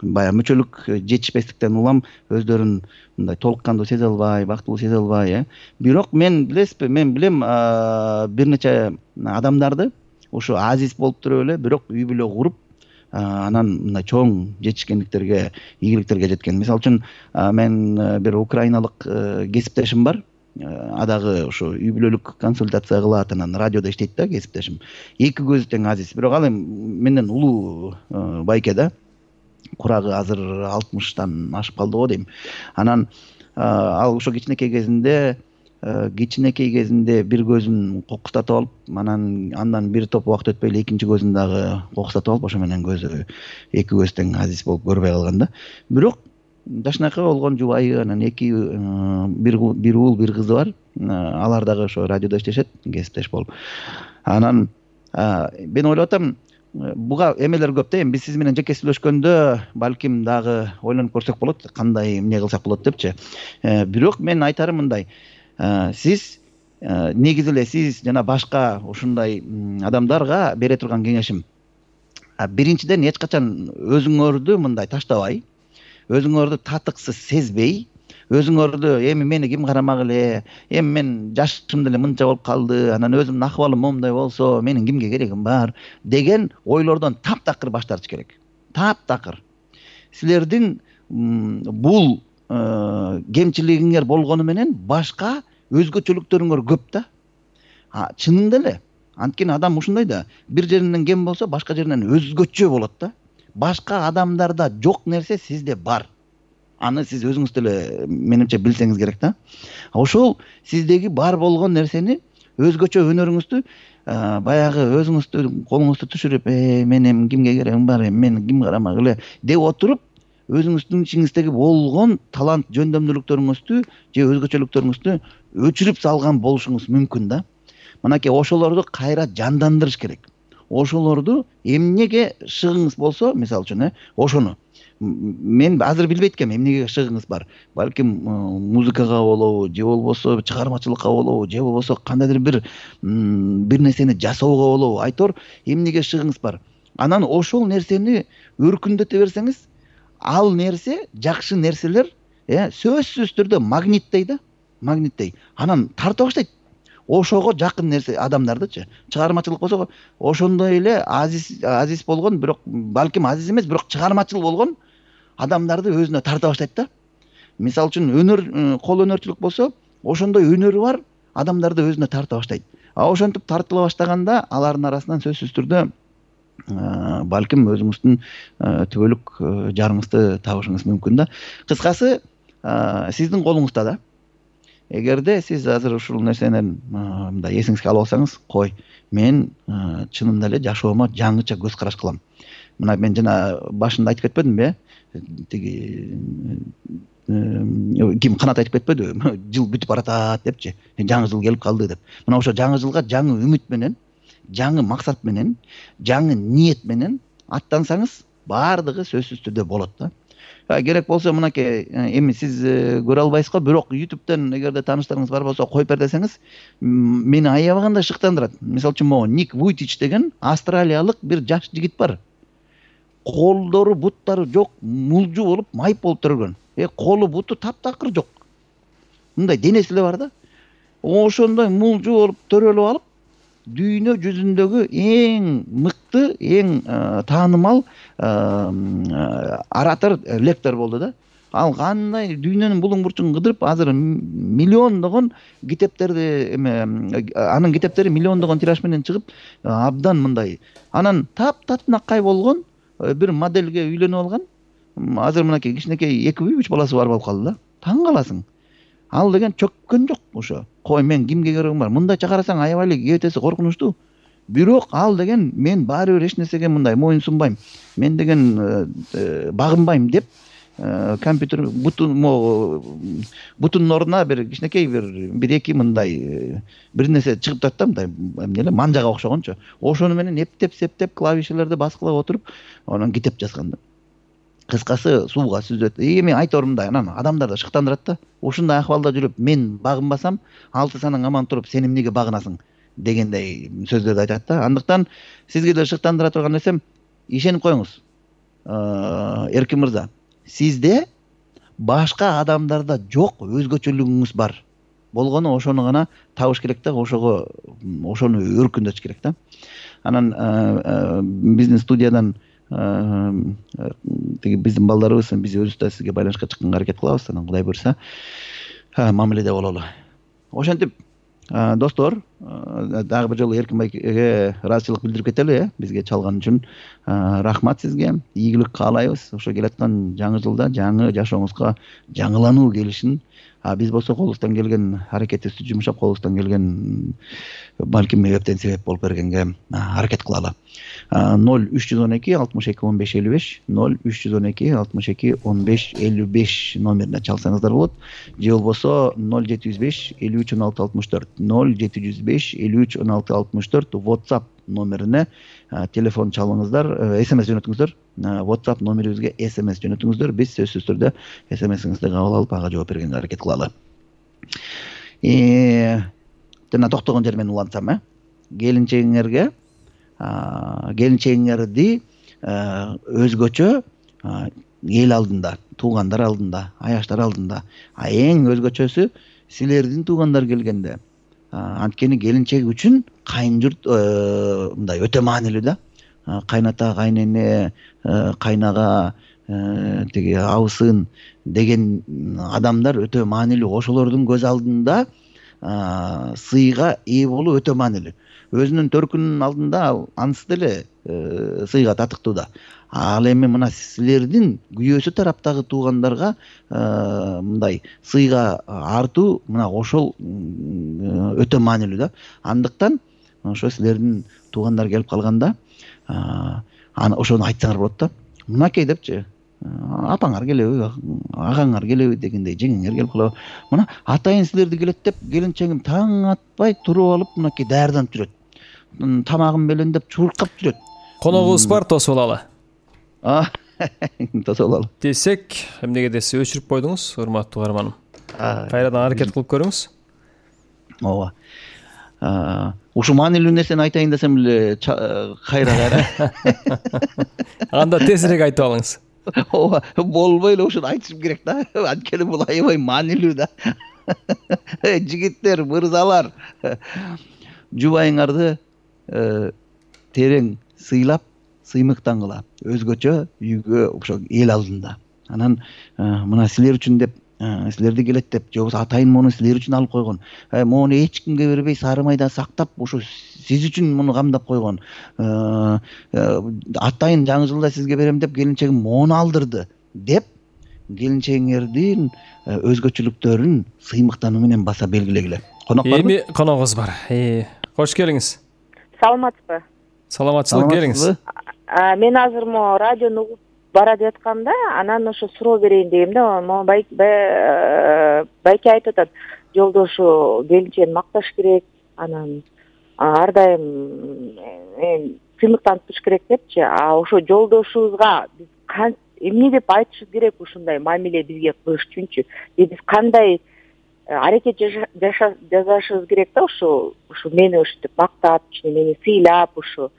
B: баягы мүчөлүк жетишпестиктен улам өздөрүн мындай толук кандуу сезе албай, бактылуу сезе албай. Бирок мен билем бир нече адамдарды ушу азиз болуп туруп эле, бирок үй бүлө куруп, анан мындай чоң жетишкендиктерге, ийгиликтерге жеткен. Мисалы үчүн мен бир украиналык кесиптешим бар. Адагы ошо үй бүлөлүк консультация кылат, анан радиодо иштейт да кесиптешим. Эки көзү тең азиз. Бирок ал эми менден улуу байке да. Курагы азыр 60-тан ашып калды го дейм. Анан ал ошо кичинекей кезинде бир көзүн кокустатып алып, андан бир топ убакыт өтпөй эле экинчи көзүн дагы кокустатып алып, ошо менен эки көзү тең азиз болуп көрбөй калган да. Бирок жашынакай болгон жубайы, анан бир уул, бир кызы бар. Алар дагы ошо радиодо иштешет, кесиптеш болуп. Анан мен ойлоп атам, буга эмелер көп да. Эми биз сиз менен жеке сүйлөшкөндө балким дагы ойлонуп көрсөк болот, кандай эмне кылсак болот депчи. Бирок мен айтарым мындай, сиз негизи эле сиз жана башка ушундай адамдарга бере турган кеңешим, биринчиден эч качан өзүңөрдү мындай таштабай, өзүңөрдү татыксыз сезбей, өзүңөрдү эми мени ким карамак эле, эми мен жашым деле мынча болуп калды, анан өзүмдүн акыбалым момундай болсо, менин кимге керегим бар деген ойлордон таптакыр баш тартыш керек. Таптакыр. Силердин бул кемчилигиңер болгону менен башка өзгөчөлүктөрүңөр көп да. Чынында эле. Анткени адам ушундай да, бир жеринен кем болсо, башка жеринен өзгөчө болот да. Башка адамдарда жок нерсе сизде бар. Аны сиз өзүңүз деле менимче билсеңиз керек да. Ошол сиздеги бар болгон нерсени, өзгөчө өнөрүңүздү баягы өзүңүздү колуңузду түшүрүп, менин кимге керегим бар, мени ким карамак эле деп отуруп, өзүңүздүн ичиңиздеги болгон талант, жөндөмдүүлүктөрүңүздү же өзгөчөлүктөрүңүздү өчүрүп салган болушуңуз мүмкүн да. Мынакей ошолорду кайра жандандырыш керек. Ошолорду эмнеге шыгыңыз болсо, мисалы үчүн, ошону. Мен азыр билбейт экенмин эмнеге шыгыңыз бар. Балким музыкага болобу, же болбосо чыгармачылыкка болобу, же болбосо кандайдыр бир нерсени жасоого болобу. Айтор эмнеге шыгыңыз бар. Анан ошол нерсени өркүндөтө берсеңиз, ал нерсе, жакшы нерселер, сөзсүз түрдө магниттей да, магниттей. Анан тарта баштайт. Ошого жакын нерсе адамдардычы. Чыгармачылык болсо, ошондой эле азиз болгон, бирок балким азиз эмес, бирок чыгармачыл болгон адамдарды өзүнө тарта баштайт да. Мисалы үчүн өнөр, кол өнөрчүлүк болсо, ошондой өнөрү бар адамдарды өзүнө тарта баштайт. Ошентип тартыла баштаганда, алардын арасынан сөзсүз түрдө балким өзүңүздүн түбөлүк жарыңызды табышыңыз мүмкүн да. Кыскасы, сиздин колуңузда да. Эгерде сиз азыр ушул нерсенен мындай эсиңизге алып алсаңыз, кой, мен чынында эле жашоомо жаңыча көз караш кылам. Мына мен жана башында айтып кетпедимби, тиги ким Канат айтып кетпедиби? Жыл бүтүп баратат депчи. Жаңы жыл келип калды деп. Мына ошо жаңы жылга жаңы үмүт менен жаңы максат менен, жаңы ниет менен аттансаңыз баардыгы сөзсүз түрдө болот да. Керек болсо мынакей эми сиз көрө албайсыз го, бирок YouTube'дан эгерде тааныштарыңыз бар болсо коюп бер десеңиз, мени аябаганда шыктандырат. Мисалы үчүн могу Ник Вуйтич деген австралиялык бир жаш жигит бар. Колдору, буттары жок, мулжу болуп, майып болуп төргөн. Колу, буту таптакыр жок. Мындай денеси эле бар да. Ошондой мулжу болуп төрөлүп алып, дүйнө жүзүндөгү эң мыкты, эң таанымал оратор, лектор болду да. Ал кандай дүйнөнүн булуң бурчун кыдырып, азыр миллиондогон китептерди анын китептери миллиондогон тираж менен чыгып, абдан мындай. Анан таптатынакай болгон бир моделге үйлөнүп алган. Азыр мынакей кичинекей 2-3 баласы бар болуп калды да. Таң каласың. Ал деген чөккөн жок ошо. Кой, мен кимге керегим бар? Мындай чакарасаң аябай кебетеси коркунучтуу. Бирок ал деген мен баары бир эч нерсеге мындай моюн сунбайм. Мен деген багынбайм деп компьютер бутунун ордуна бир кичинекей бир эки мындай бир нерсе чыгып турат да, мындай эмне манжага окшогончу. Ошону менен эптеп септеп клавишелерди баскылап отуруп, анан китеп жазган да. Кыскасы сууга сүзөт. Эми айтор мындай, анан адамдарды шыктандырат да. Ушундай акыбалда жүрүп, мен багынбасам, 6 санаң аман туруп, сен эмнеге багынасың дегендей сөздөрдү айтат да. Андыктан сизге да шыктандыра турган нерсем, ишенип коюңуз. Эркин мырза, сизде башка адамдарда жок өзгөчөлүгүңүз бар. Болгону ошону гана табыш керек да, ошону өркүндөтүш керек да. Анан биздин студиядан биздин балдарыбыз, биз өзүбүз да сизге байланышка чыкканга аракет кылабыз. Анан Кудай буйрса мамиледе бололу. Ошентип, достор, дагы бир жолу Эркин байкеге ыраазычылык билдирип кетели, бизге чалган үчүн. Рахмат сизге. Ийгилик каалайбыз. Ошо келаткан жаңы жылда жаңы жашооңузга жаңылануу келишин. Биз болсо колубуздан келген аракетибизди жумшап, колубуздан келген балким эптен себеп болуп бергенге аракет кылалы. 0312 62 15 55 0312 62 15 55 номерине чалсаңыздар болот. Же болбосо 0705 53 16 64 0705 53 16 64 WhatsApp номерине телефон чалыңыздар, SMS жөнөтүңүздөр. WhatsApp номерибизге SMS жөнөтүңүздөр. Биз сөзсүз түрдө SMS-иңизди кабыл алып, ага жооп бергенге аракет кылалы. Жана токтогон жер менен улантсам, келинчегиңерди өзгөчө эл алдында, туугандар алдында, аяштар алдында, эң өзгөчөсү силердин туугандар келгенде. Анткени келинчек үчүн кайын журт мындай өтө маанилүү да. Кайната, кайнене, кайнага, тиги абысын деген адамдар өтө маанилүү. Ошолордун көз алдында сыйга ээ болуу өтө маанилүү. Өзүнүн төркүнүнүн алдында анысы деле сыйга татыктуу да. Ал эми мына силердин күйөөсү тараптагы туугандарга мындай сыйга артуу, мына ошол өтө маанилүү да. Андыктан ошо силердин туугандар келип калганда ошону айтсаңар болот да. Мынакей депчи, апаңар келеби, агаңар келеби дегендей, жеңеңер келип калабы. Мына атайын силерди келет деп, келинчегим таң атпай туруп алып мынакей даярданып жүрөт. Тамагын белендеп чуркап жүрөт.
A: Коногубуз бар, тосуп алалы.
B: Тосуп алалы
A: десек, эмнеге десе өчүрүп койдуңуз, урматтуу каарманым. Кайрадан аракет кылып көрүңүз.
B: Ооба. Ушу маанилүү нерсени айтайын десем эле кайра.
A: Анда тезирээк айтып алыңыз.
B: Ооба, болбой эле ушуну айтышым керек да. Анткени бул аябай маанилүү да. Жигиттер, мырзалар, жубайыңарды терең сыйлап, сыймыктангыла, өзгөчө үйгө, ошо эл алдында. Анан мына силер үчүн деп, силерди келет деп, же болбосо атайын муну силер үчүн алып койгон. Мону эч кимге бербей, сары майда сактап, ошо сиз үчүн муну камдап койгон. Атайын жаңы жылда сизге берем деп, келинчегим мону алдырды деп, келинчегиңердин өзгөчөлүктөрүн сыймыктануу менен баса белгилегиле. Конок барбы?
A: Эми коногубуз бар. Кош келиңиз.
D: Саламатсызбы?
A: Саламатчылык, келиңиз.
D: Мен азыр мо радиону угуп бара жатканда, анан ошо суроо берейин дегем да. Мо байке айтып атат, жолдошу келинчегин макташ керек, анан ар дайым сыймыктанып туруш керек депчи. Ошо жолдошубузга биз эмне деп айтышыбыз керек ушундай мамиле бизге кылыш үчүнчү? Биз кандай аракет жасашыбыз керек да ушу мени ушинтип мактап, мени сыйлап ушу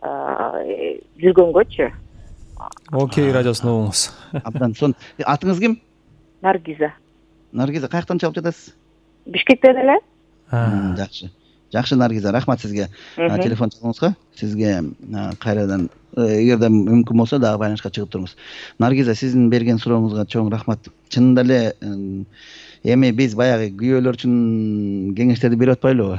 D: жүргөнгөчү.
A: Окей, радиосун угуңуз.
B: Абдан сонун. Атыңыз ким?
D: Наргиза.
B: Наргиза, каяктан чалып жатасыз?
D: Бишкектен эле.
B: Жакшы Наргиза, рахмат сизге телефон чалганыңызга. Сизге кайрадан эгерде мүмкүн болсо дагы байланышка чыгып туруңуз. Наргиза, сиздин берген сурооңузга чоң рахмат. Чынында эле эми биз баягы күйөөлөр үчүн кеңештерди берип атпайлыбы?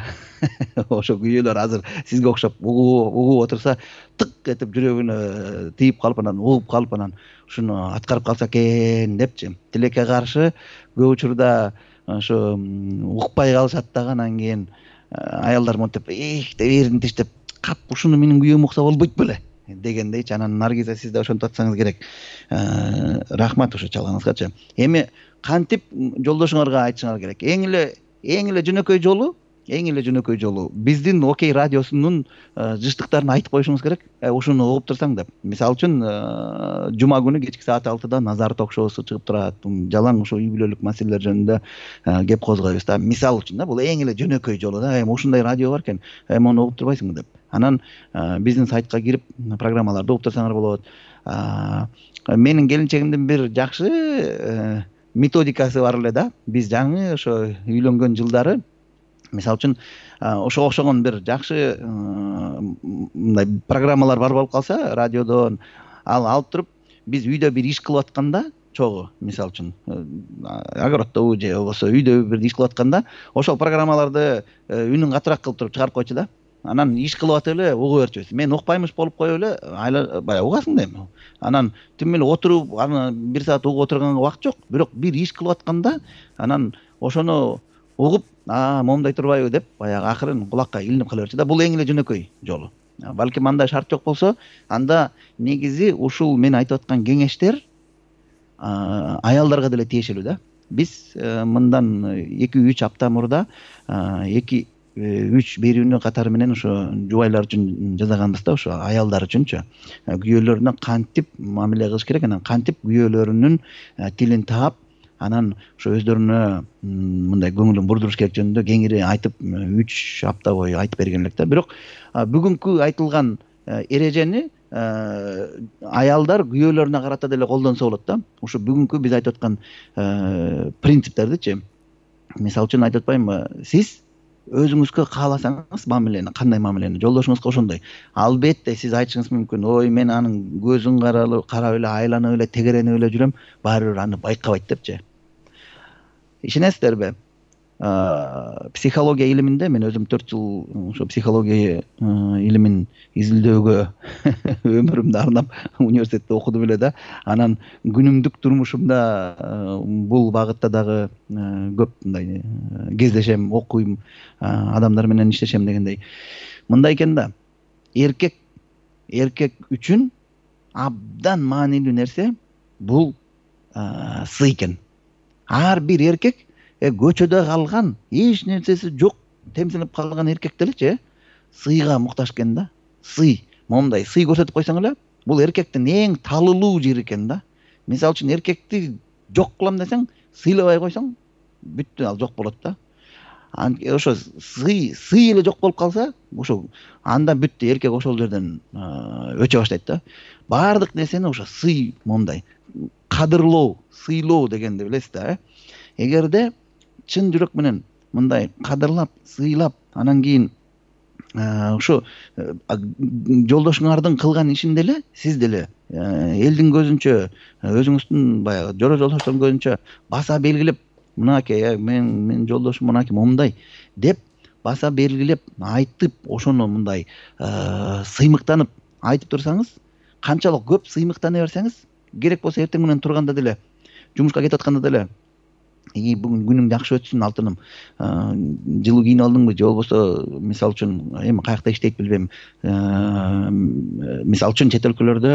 B: Ошо күйөөлөр азыр сизге окшоп угуп отурса, тык этип жүрөгүнө тийип калып, анан угуп калып, анан ушуну аткарып калса экен депчи. Тилекке каршы көп учурда ошо укпай калышат дагы, анан кийин аялдар монтип деп эрин тиштеп, кап ушуну менин күйөөм укса болбойт беле дегендейчи. Анан Наргиза, сиз да ошентип атсаңыз керек. Рахмат ошо чалганыңызгачы. Эми кантип жолдошуңарга айтышыңар керек? Эң эле жөнөкөй жолу биздин Окей радиосунун жыштыктарын айтып коюшуңуз керек. Ушуну угуп турсаң деп. Мисалы үчүн жума күнү кечки саат 6-да Назар ток-шоусу чыгып турат. Жалаң ошо үй бүлөлүк маселелер жөнүндө кеп козгойбуз да. Мисалы үчүн да, бул эң эле жөнөкөй жолу да. Ушундай радио бар экен, муну угуп турбайсыңбы деп. Анан биздин сайтка кирип программаларды угуп турсаңар болот. Менин келинчегимдин бир жакшы методикасы бар эле да. Биз жаңы ошо үйлөнгөн жылдары, мисалы үчүн ошого окшогон бир жакшы мындай программалар бар болуп калса радиодон, ал алып туруп биз үйдө бир иш кылып атканда, чогуу мисалы үчүн огороддобу же болбосо үйдө бир иш кылып атканда, ошол программаларды үнүн катыраак кылып туруп чыгарып койчу да. Анан иш кылып атып эле угуп берчүбүз. Мен укпаймыш болуп коюп эле баягы угасың да эми. Анан түм эле отуруп, аны бир саат угуп отурганга убакыт жок. Бирок бир иш кылып атканда, анан ошону угуп, момундай турбайбы деп, баягы акырын кулакка илинип кала берчү да. Бул эң эле жөнөкөй жолу. Балким андай шарт жок болсо, анда негизи ушул мен айтып аткан кеңештер аялдарга деле тиешелүү да. Биз мындан 2-3 апта мурда 2-3 берүүнү катары менен ошо жубайлар үчүн жасаганбыз да, ошо аялдар үчүнчү. Күйөөлөрүнө кантип мамиле кылыш керек, анан кантип күйөөлөрүнүн тилин таап, анан ошо өздөрүнө мындай көңүлүн бурдуруш керек жөнүндө кеңири айтып 3 апта бою айтып берген элек да. Бирок бүгүнкү айтылган эрежени аялдар күйөөлөрүнө карата деле колдонсо болот да. Ушу бүгүнкү биз айтып аткан принциптердичи. Мисалы үчүн айтып атпаймынбы, сиз өзүңүзгө кааласаңыз мамилени, кандай мамилени, жолдошуңузга ошондой. Албетте сиз айтышыңыз мүмкүн, ой мен анын көзүн карап эле, айланып эле, тегеренип эле жүрөм, баары бир аны байкабайт депчи. Ишенесиздерби? Психология илиминде мен өзүм 4 жыл ошо психология илимин изилдөөгө өмүрүмдү арнап университетте окудум эле да. Анан күнүмдүк турмушумда бул багытта дагы көп мындай кездешем, окуйм, адамдар менен иштешем дегендей. Мындай экен да. Эркек үчүн абдан маанилүү нерсе бул сый экен. Ар бир эркек көчөдө калган, эч нерсеси жок, темсинип калган эркек делечи, сыйга муктаж экен да. Сый, момундай сый көрсөтүп койсоң эле, бул эркектин эң талылуу жери экен да. Мисалы үчүн эркекти жок кылам десең, сыйлабай койсоң, бүттү, ал жок болот да. Ошо сый эле жок болуп калса, ошо анда бүттү, эркек ошол жерден өчө баштайт да. Баардык нерсени ошо сый, момундай кадырлоо, сыйлоо дегенди билесиз да. Эгерде чын жүрөк менен мындай кадырлап, сыйлап, анан кийин ушу жолдошуңардын кылган ишин деле сиз деле элдин көзүнчө, өзүңүздүн баягы жора жолдоштордун көзүнчө баса белгилеп, мынакей мен жолдошум мынакей момундай деп баса белгилеп айтып, ошону мындай сыймыктанып айтып турсаңыз, канчалык көп сыймыктана берсеңиз, керек болсо эртең менен турганда деле, жумушка кетип атканда деле, бүгүн күнүң жакшы өтсүн алтыным, жылуу кийинип алдыңбы же болбосо мисалы үчүн эми каякта иштейт билбейм, мисалы үчүн чет өлкөлөрдө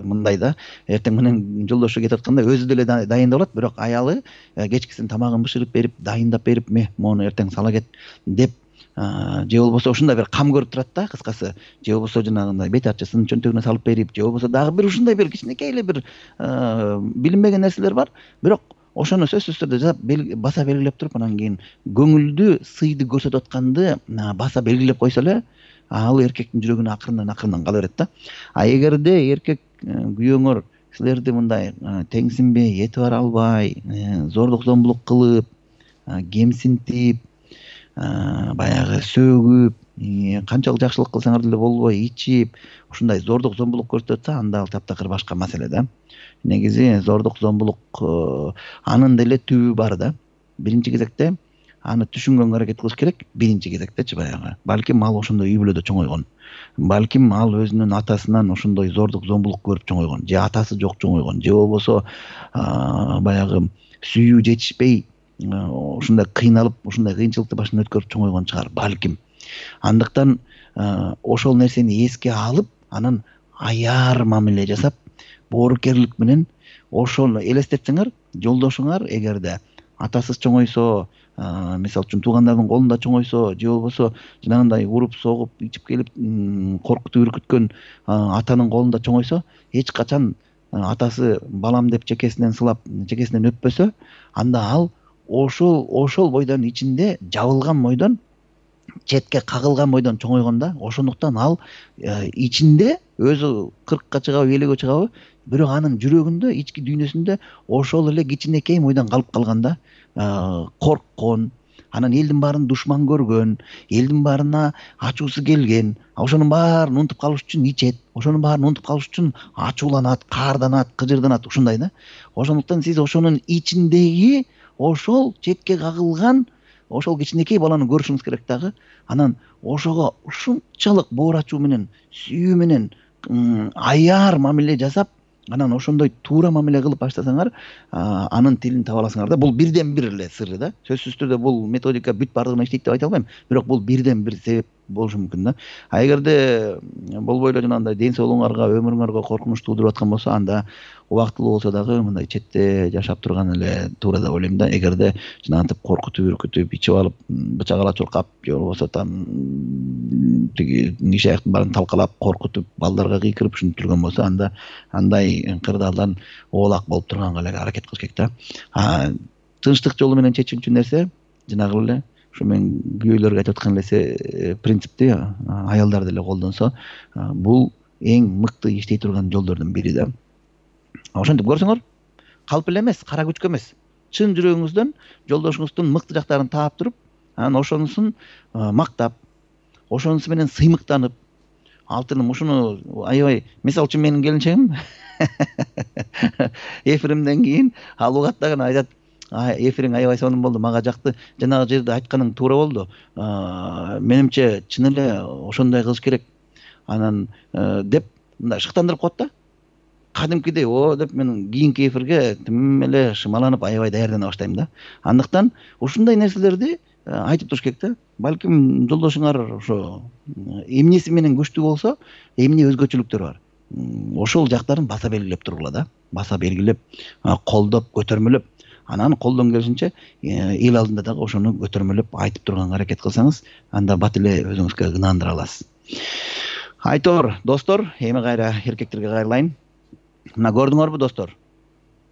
B: мындай да, эртең менен жолдошу кетип атканда өзү деле дайындап алат, бирок аялы кечкисин тамагын бышырып берип, дайындап берип, мону эртең сала кет деп же болбосо ушундай бир кам көрүп турат да, кыскасы, же болбосо жанагындай бет ачысын чөнтөгүнө салып берип, же болбосо дагы бир ушундай бир кичинекей эле бир билинбеген нерселер бар, бирок ошону сөзсүз түрдө баса белгилеп туруп, анан кийин көңүлдү, сыйды көрсөтүп атканды баса белгилеп койсо эле, ал эркектин жүрөгүнө акырындан кала берет да. А эгерде эркек күйөөңөр силерди мындай теңсинбей, эти бара албай, зордук зомбулук кылып, кемсинтип, баягы сөгүп, канчалык жакшылык кылсаңар деле болбой ичип, ушундай зордук зомбулук көрсөтсө, анда ал таптакыр башка маселе да. Негизи зордук зомбулук анын деле түбү бар да. Биринчи кезекте аны түшүнгөнгө аракет кылыш керек. Биринчи кезектечи баягы. Балким ал ошондой үй бүлөдө чоңойгон. Балким ал өзүнүн атасынан ошондой зордук зомбулук көрүп чоңойгон. Же атасы жок чоңойгон. Же болбосо баягы сүйүү жетишпей ушундай кыйналып, ушундай кыйынчылыкты башынан өткөрүп чоңойгон чыгар балким. Андыктан ошол нерсени эске алып, анан аяр мамиле жасап, боорукерлик менен ошону элестетсеңер, жолдошуңар эгерде атасыз чоңойсо, мисалы үчүн туугандардын колунда чоңойсо, же болбосо жанагындай уруп согуп, ичип келип коркутуп үркүткөн атанын колунда чоңойсо, эч качан атасы балам деп чекесинен сылап, чекесинен өппөсө, анда ал ошол бойдон ичинде жабылган бойдон, четке кагылган бойдон чоңойгон да. Ошондуктан ал ичинде өзү 40-ка чыгабы, 50-ге чыгабы, бирок анын жүрөгүндө, ички дүйнөсүндө ошол эле кичинекей бойдон калып калган да. Корккон, анан элдин баарын душман көргөн, элдин баарына ачуусу келген, ошонун баарын унутуп калыш үчүн ичет, ошонун баарын унутуп калыш үчүн ачууланат, каарданат, кыжырданат, ушундай да. Ошондуктан сиз ошонун ичиндеги ошол четке кагылган ошол кичинекей баланы көрүшүңүз керек дагы. Анан ошого ушунчалык боор ачуу менен, сүйүү менен аяр мамиле жасап, анан ошондой туура мамиле кылып баштасаңар, анын тилин таба аласыңар да. Бул бирден бир эле сыры да. Сөзсүз түрдө бул методика бүт бардыгына иштейт деп айта албайм, бирок бул бирден бир себеп болушу мүмкүн да. А эгерде болбой эле жанагындай ден соолугуңарга, өмүрүңөргө коркунуч туудуруп аткан болсо, анда убактылуу болсо дагы мындай четте жашап турган эле туура деп ойлойм да. Эгерде жанагынтип коркутуп, үркүтүп, ичип алып, бычак ала чуркап, же болбосо там тиги киши аяктын баарын талкалап, коркутуп, балдарга кыйкырып ушинтип жүргөн болсо, анда андай кырдаалдан оолак болуп турганга эле аракет кылыш керек да. Тынчтык жолу менен чечилчү нерсе жанагы эле ушу мен күйөөлөргө айтып аткан эле принципти аялдар деле колдонсо, бул эң мыкты иштей турган жолдордун бири да. Ошентип көрсөңөр, калп эле эмес, кара күчкө эмес, чын жүрөгүңүздөн жолдошуңуздун мыкты жактарын таап туруп, анан ошонусун мактап, ошонусу менен сыймыктанып, алтыным ушуну аябай, мисалы үчүн менин келинчегим эфиримден кийин ал угаттаган айтат, эфириң аябай сонун болду, мага жакты, жанагы жерде айтканың туура болду. Менимче чын эле ошондой кылыш керек. Анан деп мындай шыктандырып коет да. Кадимкидей деп мен кийинки эфирге тим эле шымаланып, аябай даярдана баштайм да. Андыктан ушундай нерселерди айтып туруш керек да. Балким жолдошуңар ошо эмнеси менен күчтүү болсо, эмне өзгөчөлүктөр бар. Ошол жактарын баса белгилеп тургула да. Баса белгилеп, колдоп, көтөрмөлөп, анан колдон келишинче эл алдында дагы ошону көтөрмөлөп айтып турганга аракет кылсаңыз, анда бат эле өзүңүзгө ынандыра аласыз. Айтор достор, эми кайра эркектерге кайрылайын. Мына көрдүңөрбү достор?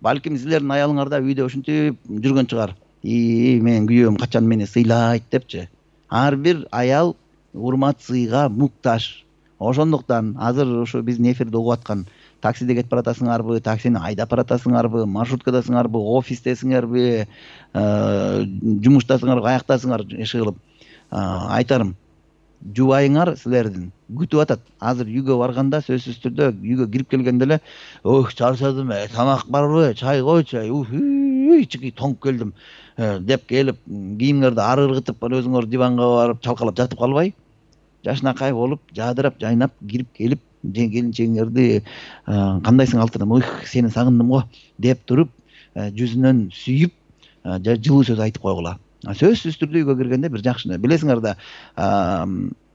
B: Балким силердин аялыңар да үйдө ушинтип жүргөн чыгар. Менин күйөөм качан мени сыйлайт депчи. Ар бир аял урмат сыйга муктаж. Ошондуктан азыр ушу биздин эфирди угуп аткан таксиде кетип баратасыңарбы, таксини айдап баратасыңарбы, маршруткадасыңарбы, офистесиңерби, жумуштасыңарбы, каяктасыңар иш кылып, айтарым, жубайыңар силердин күтүп атат. Азыр үйгө барганда сөзсүз түрдө үйгө кирип келгенде эле, чарчадым, тамак барбы, чай койчу, чыгый тоңуп келдим деп келип, кийимиңерди ары ыргытып, өзүңөр диванга барып чалкалап жатып калбай, жашынакай болуп, жадырап, жайнап кирип келип, келинчегиңерди кандайсың алтыным, сени сагындым го деп туруп, жүзүнөн сүйүп, жылуу сөз айтып койгула. Сөзсүз түрдө үйгө киргенде бир жакшы, билесиңер да,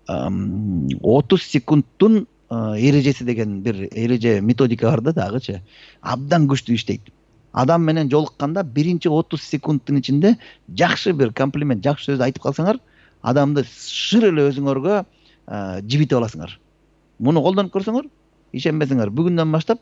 B: 30 секундтун эрежеси деген бир эреже методика бар да дагычы. Абдан күчтүү иштейт. Адам менен жолукканда биринчи 30 секундтун ичинде жакшы бир комплимент, жакшы сөз айтып калсаңар, адамды шыр эле өзүңөргө жибитип аласыңар. Муну колдонуп көрсөңөр, ишенбесеңер, бүгүндөн баштап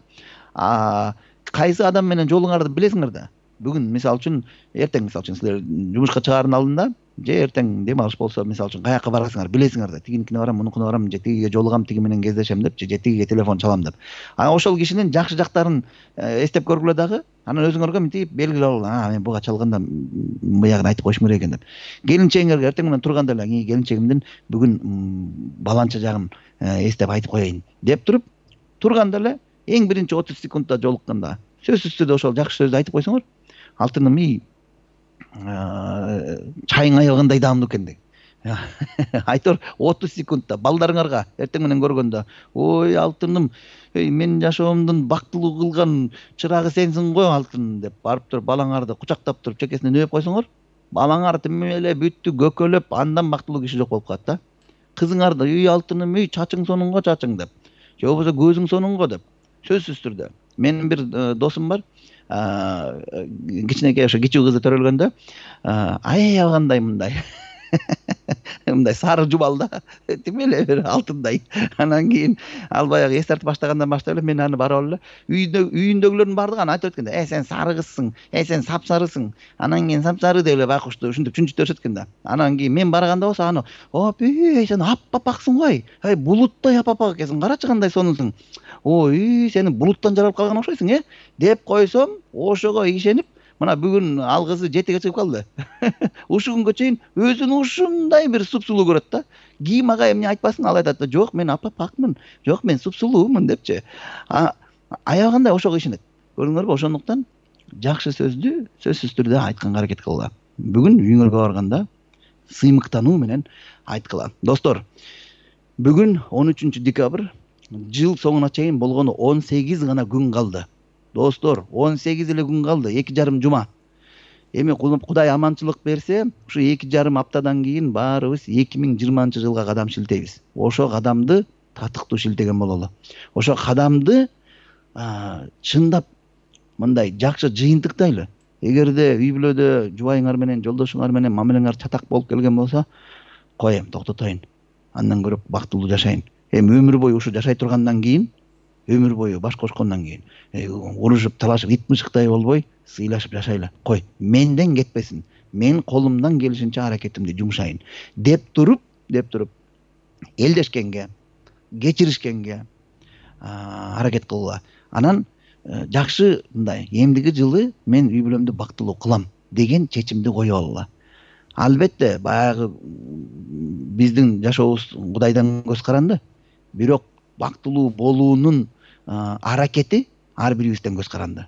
B: кайсы адам менен жолуңарды билесиңер да. Бүгүн мисалы үчүн, эртең мисалы үчүн силер жумушка чыгаардын алдында же эртең дем алыш болсо мисалы үчүн каяка барасыңар, билесиңер да. Тигиникине барам, мунукуна барам, же тигиге жолугам, тиги менен кездешем деп, же тигиге телефон чалам деп. Ошол кишинин жакшы жактарын эстеп көргүлө дагы, анан өзүңөргө мынтип белгилеп алгыла, мен буга чалганда буягын айтып коюшум керек экен деп. Келинчегиңерге эртең менен турганда эле, келинчегимдин бүгүн баланча жагын эстеп айтып коеюн деп туруп, турганда эле эң биринчи 30 секундда жолукканда сөзсүз түрдө ошол жакшы сөздү айтып койсоңор, алтыным чайың аялгандай даамдуу экен деп. Айтор 30 секундда балдарыңарга эртең менен көргөндө, ой алтыным, мен жашоомдун бактылуу кылган чырагы сенсиң го алтын деп барып туруп балаңарды кучактап туруп чекесине нөөп койсоңор, балаңар тим эле бүттү көкөлөп, андан бактылуу киши жок болуп калат да. Кызыңарды, алтыным, чачың сонуңго чачың деп, же болбосо көзүң сонуңго деп. Сөзсүз түрдө. Менин бир досум бар, кичинекей ошо кичүү кызы төрөлгөндө, аябагандай мындай сары жубал да, тим эле бир алтындай. Анан кийин ал баягы эс тартып баштагандан баштап эле мен аны барып алып эле үйүндөгүлөрдүн баардыгы аны айтып өткөн да. Сен сары кызсың, сен сапсарысың. Анан кийин сапсары деп эле байкушту ушинтип чүнчүтөрүшөт экен да. Анан кийин мен барганда болсо аны, сен аппапаксың го, булуттай аппапак экенсиң, карачы кандай сонусуң. Ой, сени булуттан жаралып калган окшойсуң, деп койсом, ошого ишенип, мына бүгүн ал кызы 7ге чыгып калды. Ушу күнгө чейин өзүн ушундай бир супсулуу көрөт да. Кийим ага эмне айтпасын, ал айтат да, жок мен аппапакмын, жок мен супсулуумун депчи. Аябагандай ошого ишенет. Көрдүңөрбү? Ошондуктан жакшы сөздү сөзсүз түрдө айтканга аракет кылгыла. Бүгүн үйүңөргө барганда сыймыктануу менен айткыла. Достор, бүгүн 13 декабрь, жыл соңуна чейин болгону 18 гана күн калды. Достор, 18 эле күн калды, 2,5 жума. Эми Кудай аманчылык берсе, ушу 2,5 аптадан кийин баарыбыз 2020-жылга кадам шилтейбиз. Ошо кадамды татыктуу шилтеген бололу. Ошо кадамды чындап мындай жакшы жыйынтыктайлы. Эгерде үй бүлөдө жубайыңар менен, жолдошуңар менен мамилеңер чатак болуп келген болсо, коем, токтотоюн. Андан көрөп бактылуу жашайын. Эми өмүр бою ушу жашай тургандан кийин, өмүр бою баш кошкондон кийин, урушуп, талашып, ит мышыктай болбой, сыйлашып жашайлы. Кой, менден кетпесин. Мен колумдан келишинче аракетимди жумшайын деп туруп, элдешкенге, кечиришкенге аракет кылгыла. Анан жакшы мындай, эмдиги жылы мен үй бүлөмдү бактылуу кылам деген чечимди коюп алгыла. Албетте, баягы биздин жашообуз Кудайдан көз каранды. Бирок бактылуу болуунун аракети ар бирибизден көз каранды.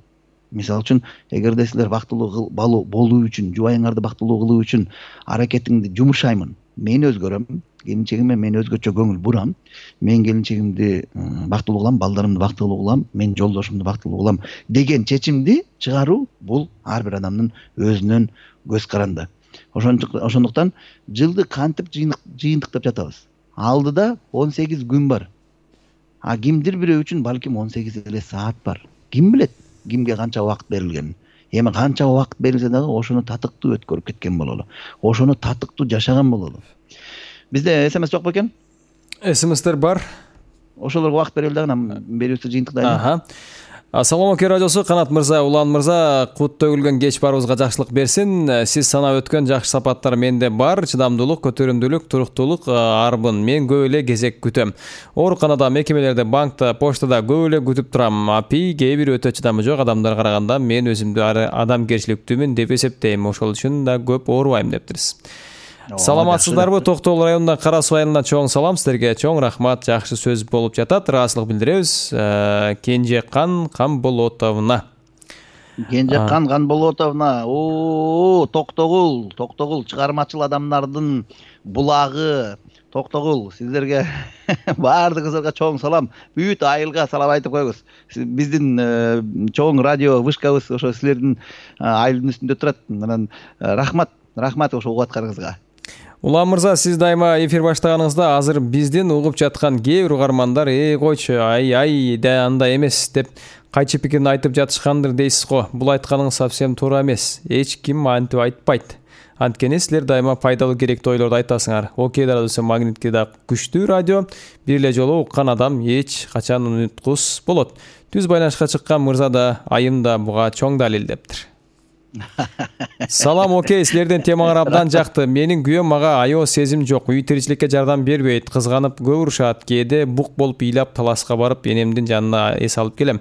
B: Мисалы үчүн, эгерде силер бактылуу болуу үчүн, жубайыңарды бактылуу кылуу үчүн аракетиңди жумшаймын, мен өзгөрөм, келинчегиме мен өзгөчө көңүл бурам, мен келинчегимди бактылуу кылам, балдарымды бактылуу кылам, мен жолдошумду бактылуу кылам деген чечимди чыгаруу бул ар бир адамдын өзүнөн көз каранды. Ошондуктан жылды кантип жыйынтыктап жатабыз? Алдыда 18 күн бар. Кимдир бирөө үчүн балким 18 эле саат бар. Ким билет кимге канча убакыт берилгенин. Эми канча убакыт берилсе дагы ошону татыктуу өткөрүп кеткен бололу. Ошону татыктуу жашаган бололу. Бизде СМС жок бекен?
A: СМСтер бар.
B: Ошолорго убакыт берели дагы, берүүсү жыйынтыктайлы.
A: Ассаламу алейкум радиосу, Канат мырза, Улан мырза, кут төгүлгөн кеч барыбызга жакшылык берсин. Сиз санап өткөн жакшы сапаттар менде бар. Чыдамдуулук, көтөрүмдүүлүк, туруктуулук арбын. Мен көп эле кезек күтөм. Ооруканада, мекемелерде, банкта, поштада көп эле күтүп турам. Кээ бир өтө чыдамы жок адамдарга караганда мен өзүмдү адамгерчиликтүүмүн деп эсептейм. Ошол үчүн да көп оорубайм дептирсиз. Саламатсыздарбы? Токтогул районунан Кара Суу айылынан чоң салам силерге. Чоң рахмат, жакшы сөз болуп жатат. Ыраазычылык билдиребиз. Кенжекан Камболотовна.
B: Кенжекан Камболотовна. Токтогул чыгармачыл адамдардын булагы. Токтогул, сиздерге баардыгыңызга чоң салам. Бүт айылга салам айтып коебуз. Биздин чоң радио вышкабыз ошо силердин айылдын үстүндө турат. Анан рахмат ошо угуп атканыңызга.
A: Улан мырза, сиз дайыма эфир баштаганыңызда азыр биздин угуп жаткан кээ бир угармандар койчу, ай да андай эмес деп кайчы пикирин айтып жатышкандыр дейсиз го. Бул айтканыңыз совсем туура эмес. Эч ким антип айтпайт. Анткени силер дайыма пайдалуу керектүү ойлорду айтасыңар. Окей радиосу Магнитке да күчтүү радио. Бир эле жолу уккан адам эч качан унуткус болот. Түз байланышка чыккан мырза да, айым да буга чоң далил дептир. Салам, окей, силердин темаңар абдан жакты. Менин күйөөм мага аябай сезим жок, үй тиричиликке жардам бербейт, кызганып көп урушат, кээде бук болуп ыйлап талашка барып энемдин жанына эс алып келем.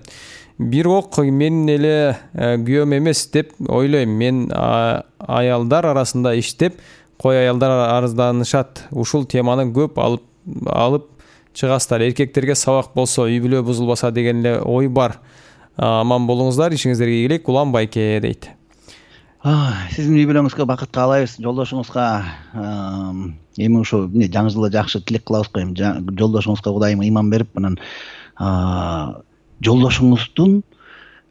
A: Бирок мен эле күйөөм эмес деп ойлойм. Мен аялдар арасында иштеп, кой аялдар арызданышат. Ушул теманы көп алып чыгасыздар. Эркектерге сабак болсо, үй бүлө бузулбаса деген эле ой бар. Аман болуңуздар, ишиңиздерге ийгилик. Улан Байке дейт.
B: Сиздин үй бүлөңүзгө бакыт каалайбыз, жолдошуңузга эми ушу жаңы жылда жакшы тилек кылабыз го. Жолдошуңузга Кудайым ыйман берип, анан жолдошуңуздун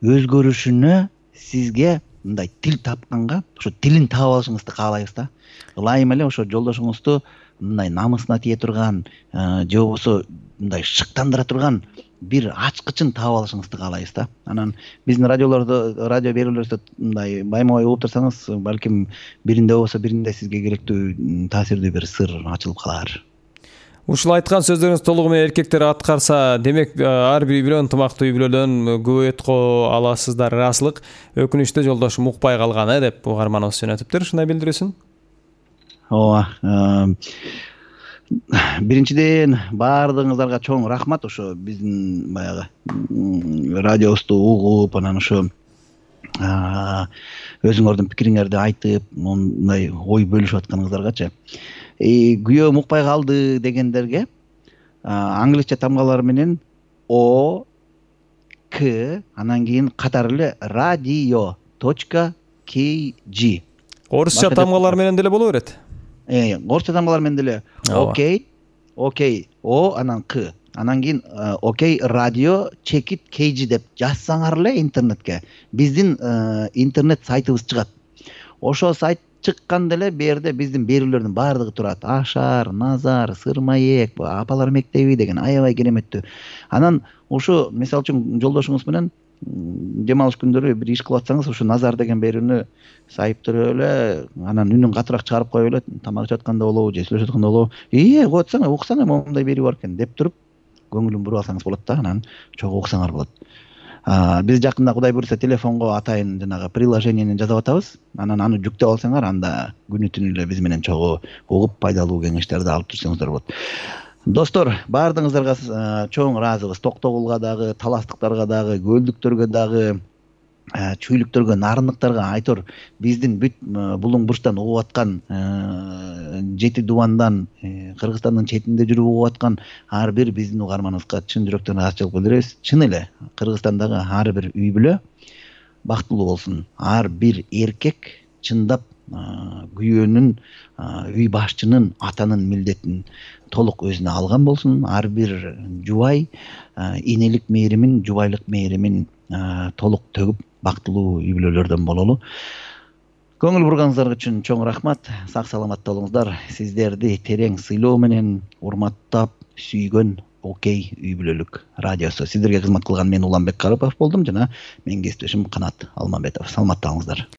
B: өзгөрүшүнө сизге мындай тил тапканга, ошо тилин таап алышыңызды каалайбыз да. Ылайым эле ошо жолдошуңузду мындай намысына тие турган, же болбосо мындай шыктандыра турган бир ачкычын таап алышыңызды каалайбыз да. Анан биздин радио берүүлөрүбүздө мындай баймабай угуп турсаңыз, балким биринде болбосо биринде сизге керектүү таасирдүү бир сыр ачылып калар.
A: Ушул айткан сөздөрүңүз толугу менен эркектер аткарса, демек ар бир үй бүлө ынтымактуу үй бүлөдөн көбөйткө аласыздар. Ырасылык, өкүнүчтүү жолдошум укпай калган деп угарманыбыз жөнөтүптүр. Ушундай билдирүүсүн.
B: Ооба. Биринчиден баардыгыңыздарга чоң рахмат. Ошо биздин баягы радиобузду угуп, анан ошо өзүңөрдүн пикириңерди айтып, мындай ой бөлүшүп атканыңыздаргачы. Күйөөм укпай калды дегендерге англисче тамгалар менен O K анан кийин катары эле radio.kg.
A: Орусча тамгалар менен деле боло берет.
B: Орусча тамгалар менен деле окей, O анан К. Анан кийин окей радио чекит kg деп жазсаңар эле интернетке биздин интернет сайтыбыз чыгат. Ошо сайт чыкканда эле берде биздин берүүлөрдүн баардыгы турат. Ашар, Назар, Сырмаек, апалар мектеби деген аябай кереметтүү. Анан ушу мисалы үчүн жолдошуңуз менен дем алыш күндөрү бир иш кылып атсаңыз, ушу Назар деген берүүнү сайыптырып эле, анан үнүн катыраак чыгарып коюп эле, тамак ичип атканда болобу, же сүйлөшүп атканда болобу, коюп атсаң, уксаң, момундай берүү бар экен деп туруп, көңүлүн буруп алсаңыз болот да, анан чогуу уксаңар болот. Биз жакында Кудай буйрса телефонго атайын жанагы приложениени жасап атабыз. Анан аны жүктөп алсаңар, анда күнү түнү эле биз менен чогуу угуп пайдалуу кеңештерди алып жүрсөңүздөр болот. Достор, баардыгыңыздарга чоң ыраазыбыз. Токтогулга дагы, таластыктарга дагы, көлдүктөргө дагы, чүйлүктөргө, нарындыктарга айтор биздин бүт булуң бурчтан угуп аткан, Жети Дубандан, Кыргызстандын четинде жүрүп угуп аткан ар бир биздин угарманыбызга чын жүрөктөн ыраазычылык билдиребиз. Чын эле Кыргызстандагы ар бир үй бүлө бактылуу болсун. Ар бир эркек чындап күйөөнүн, үй башчынын, атанын милдетин толук өзүнө алган болсун. Ар бир жубай энелик мээримин, жубайлык мээримин толук төгүп бактылуу үй бүлөлөрдөн бололу. Көңүл бурганыңыздар үчүн чоң рахмат. Сак саламатта болуңуздар. Сиздерди терең сыйлоо менен урматтап сүйгөн Окей үй бүлөлүк радиосу. Сиздерге кызмат кылган мен Уланбек Карыпов болдум жана менин кесиптешим Канат Алмамбетов. Саламатта болуңуздар.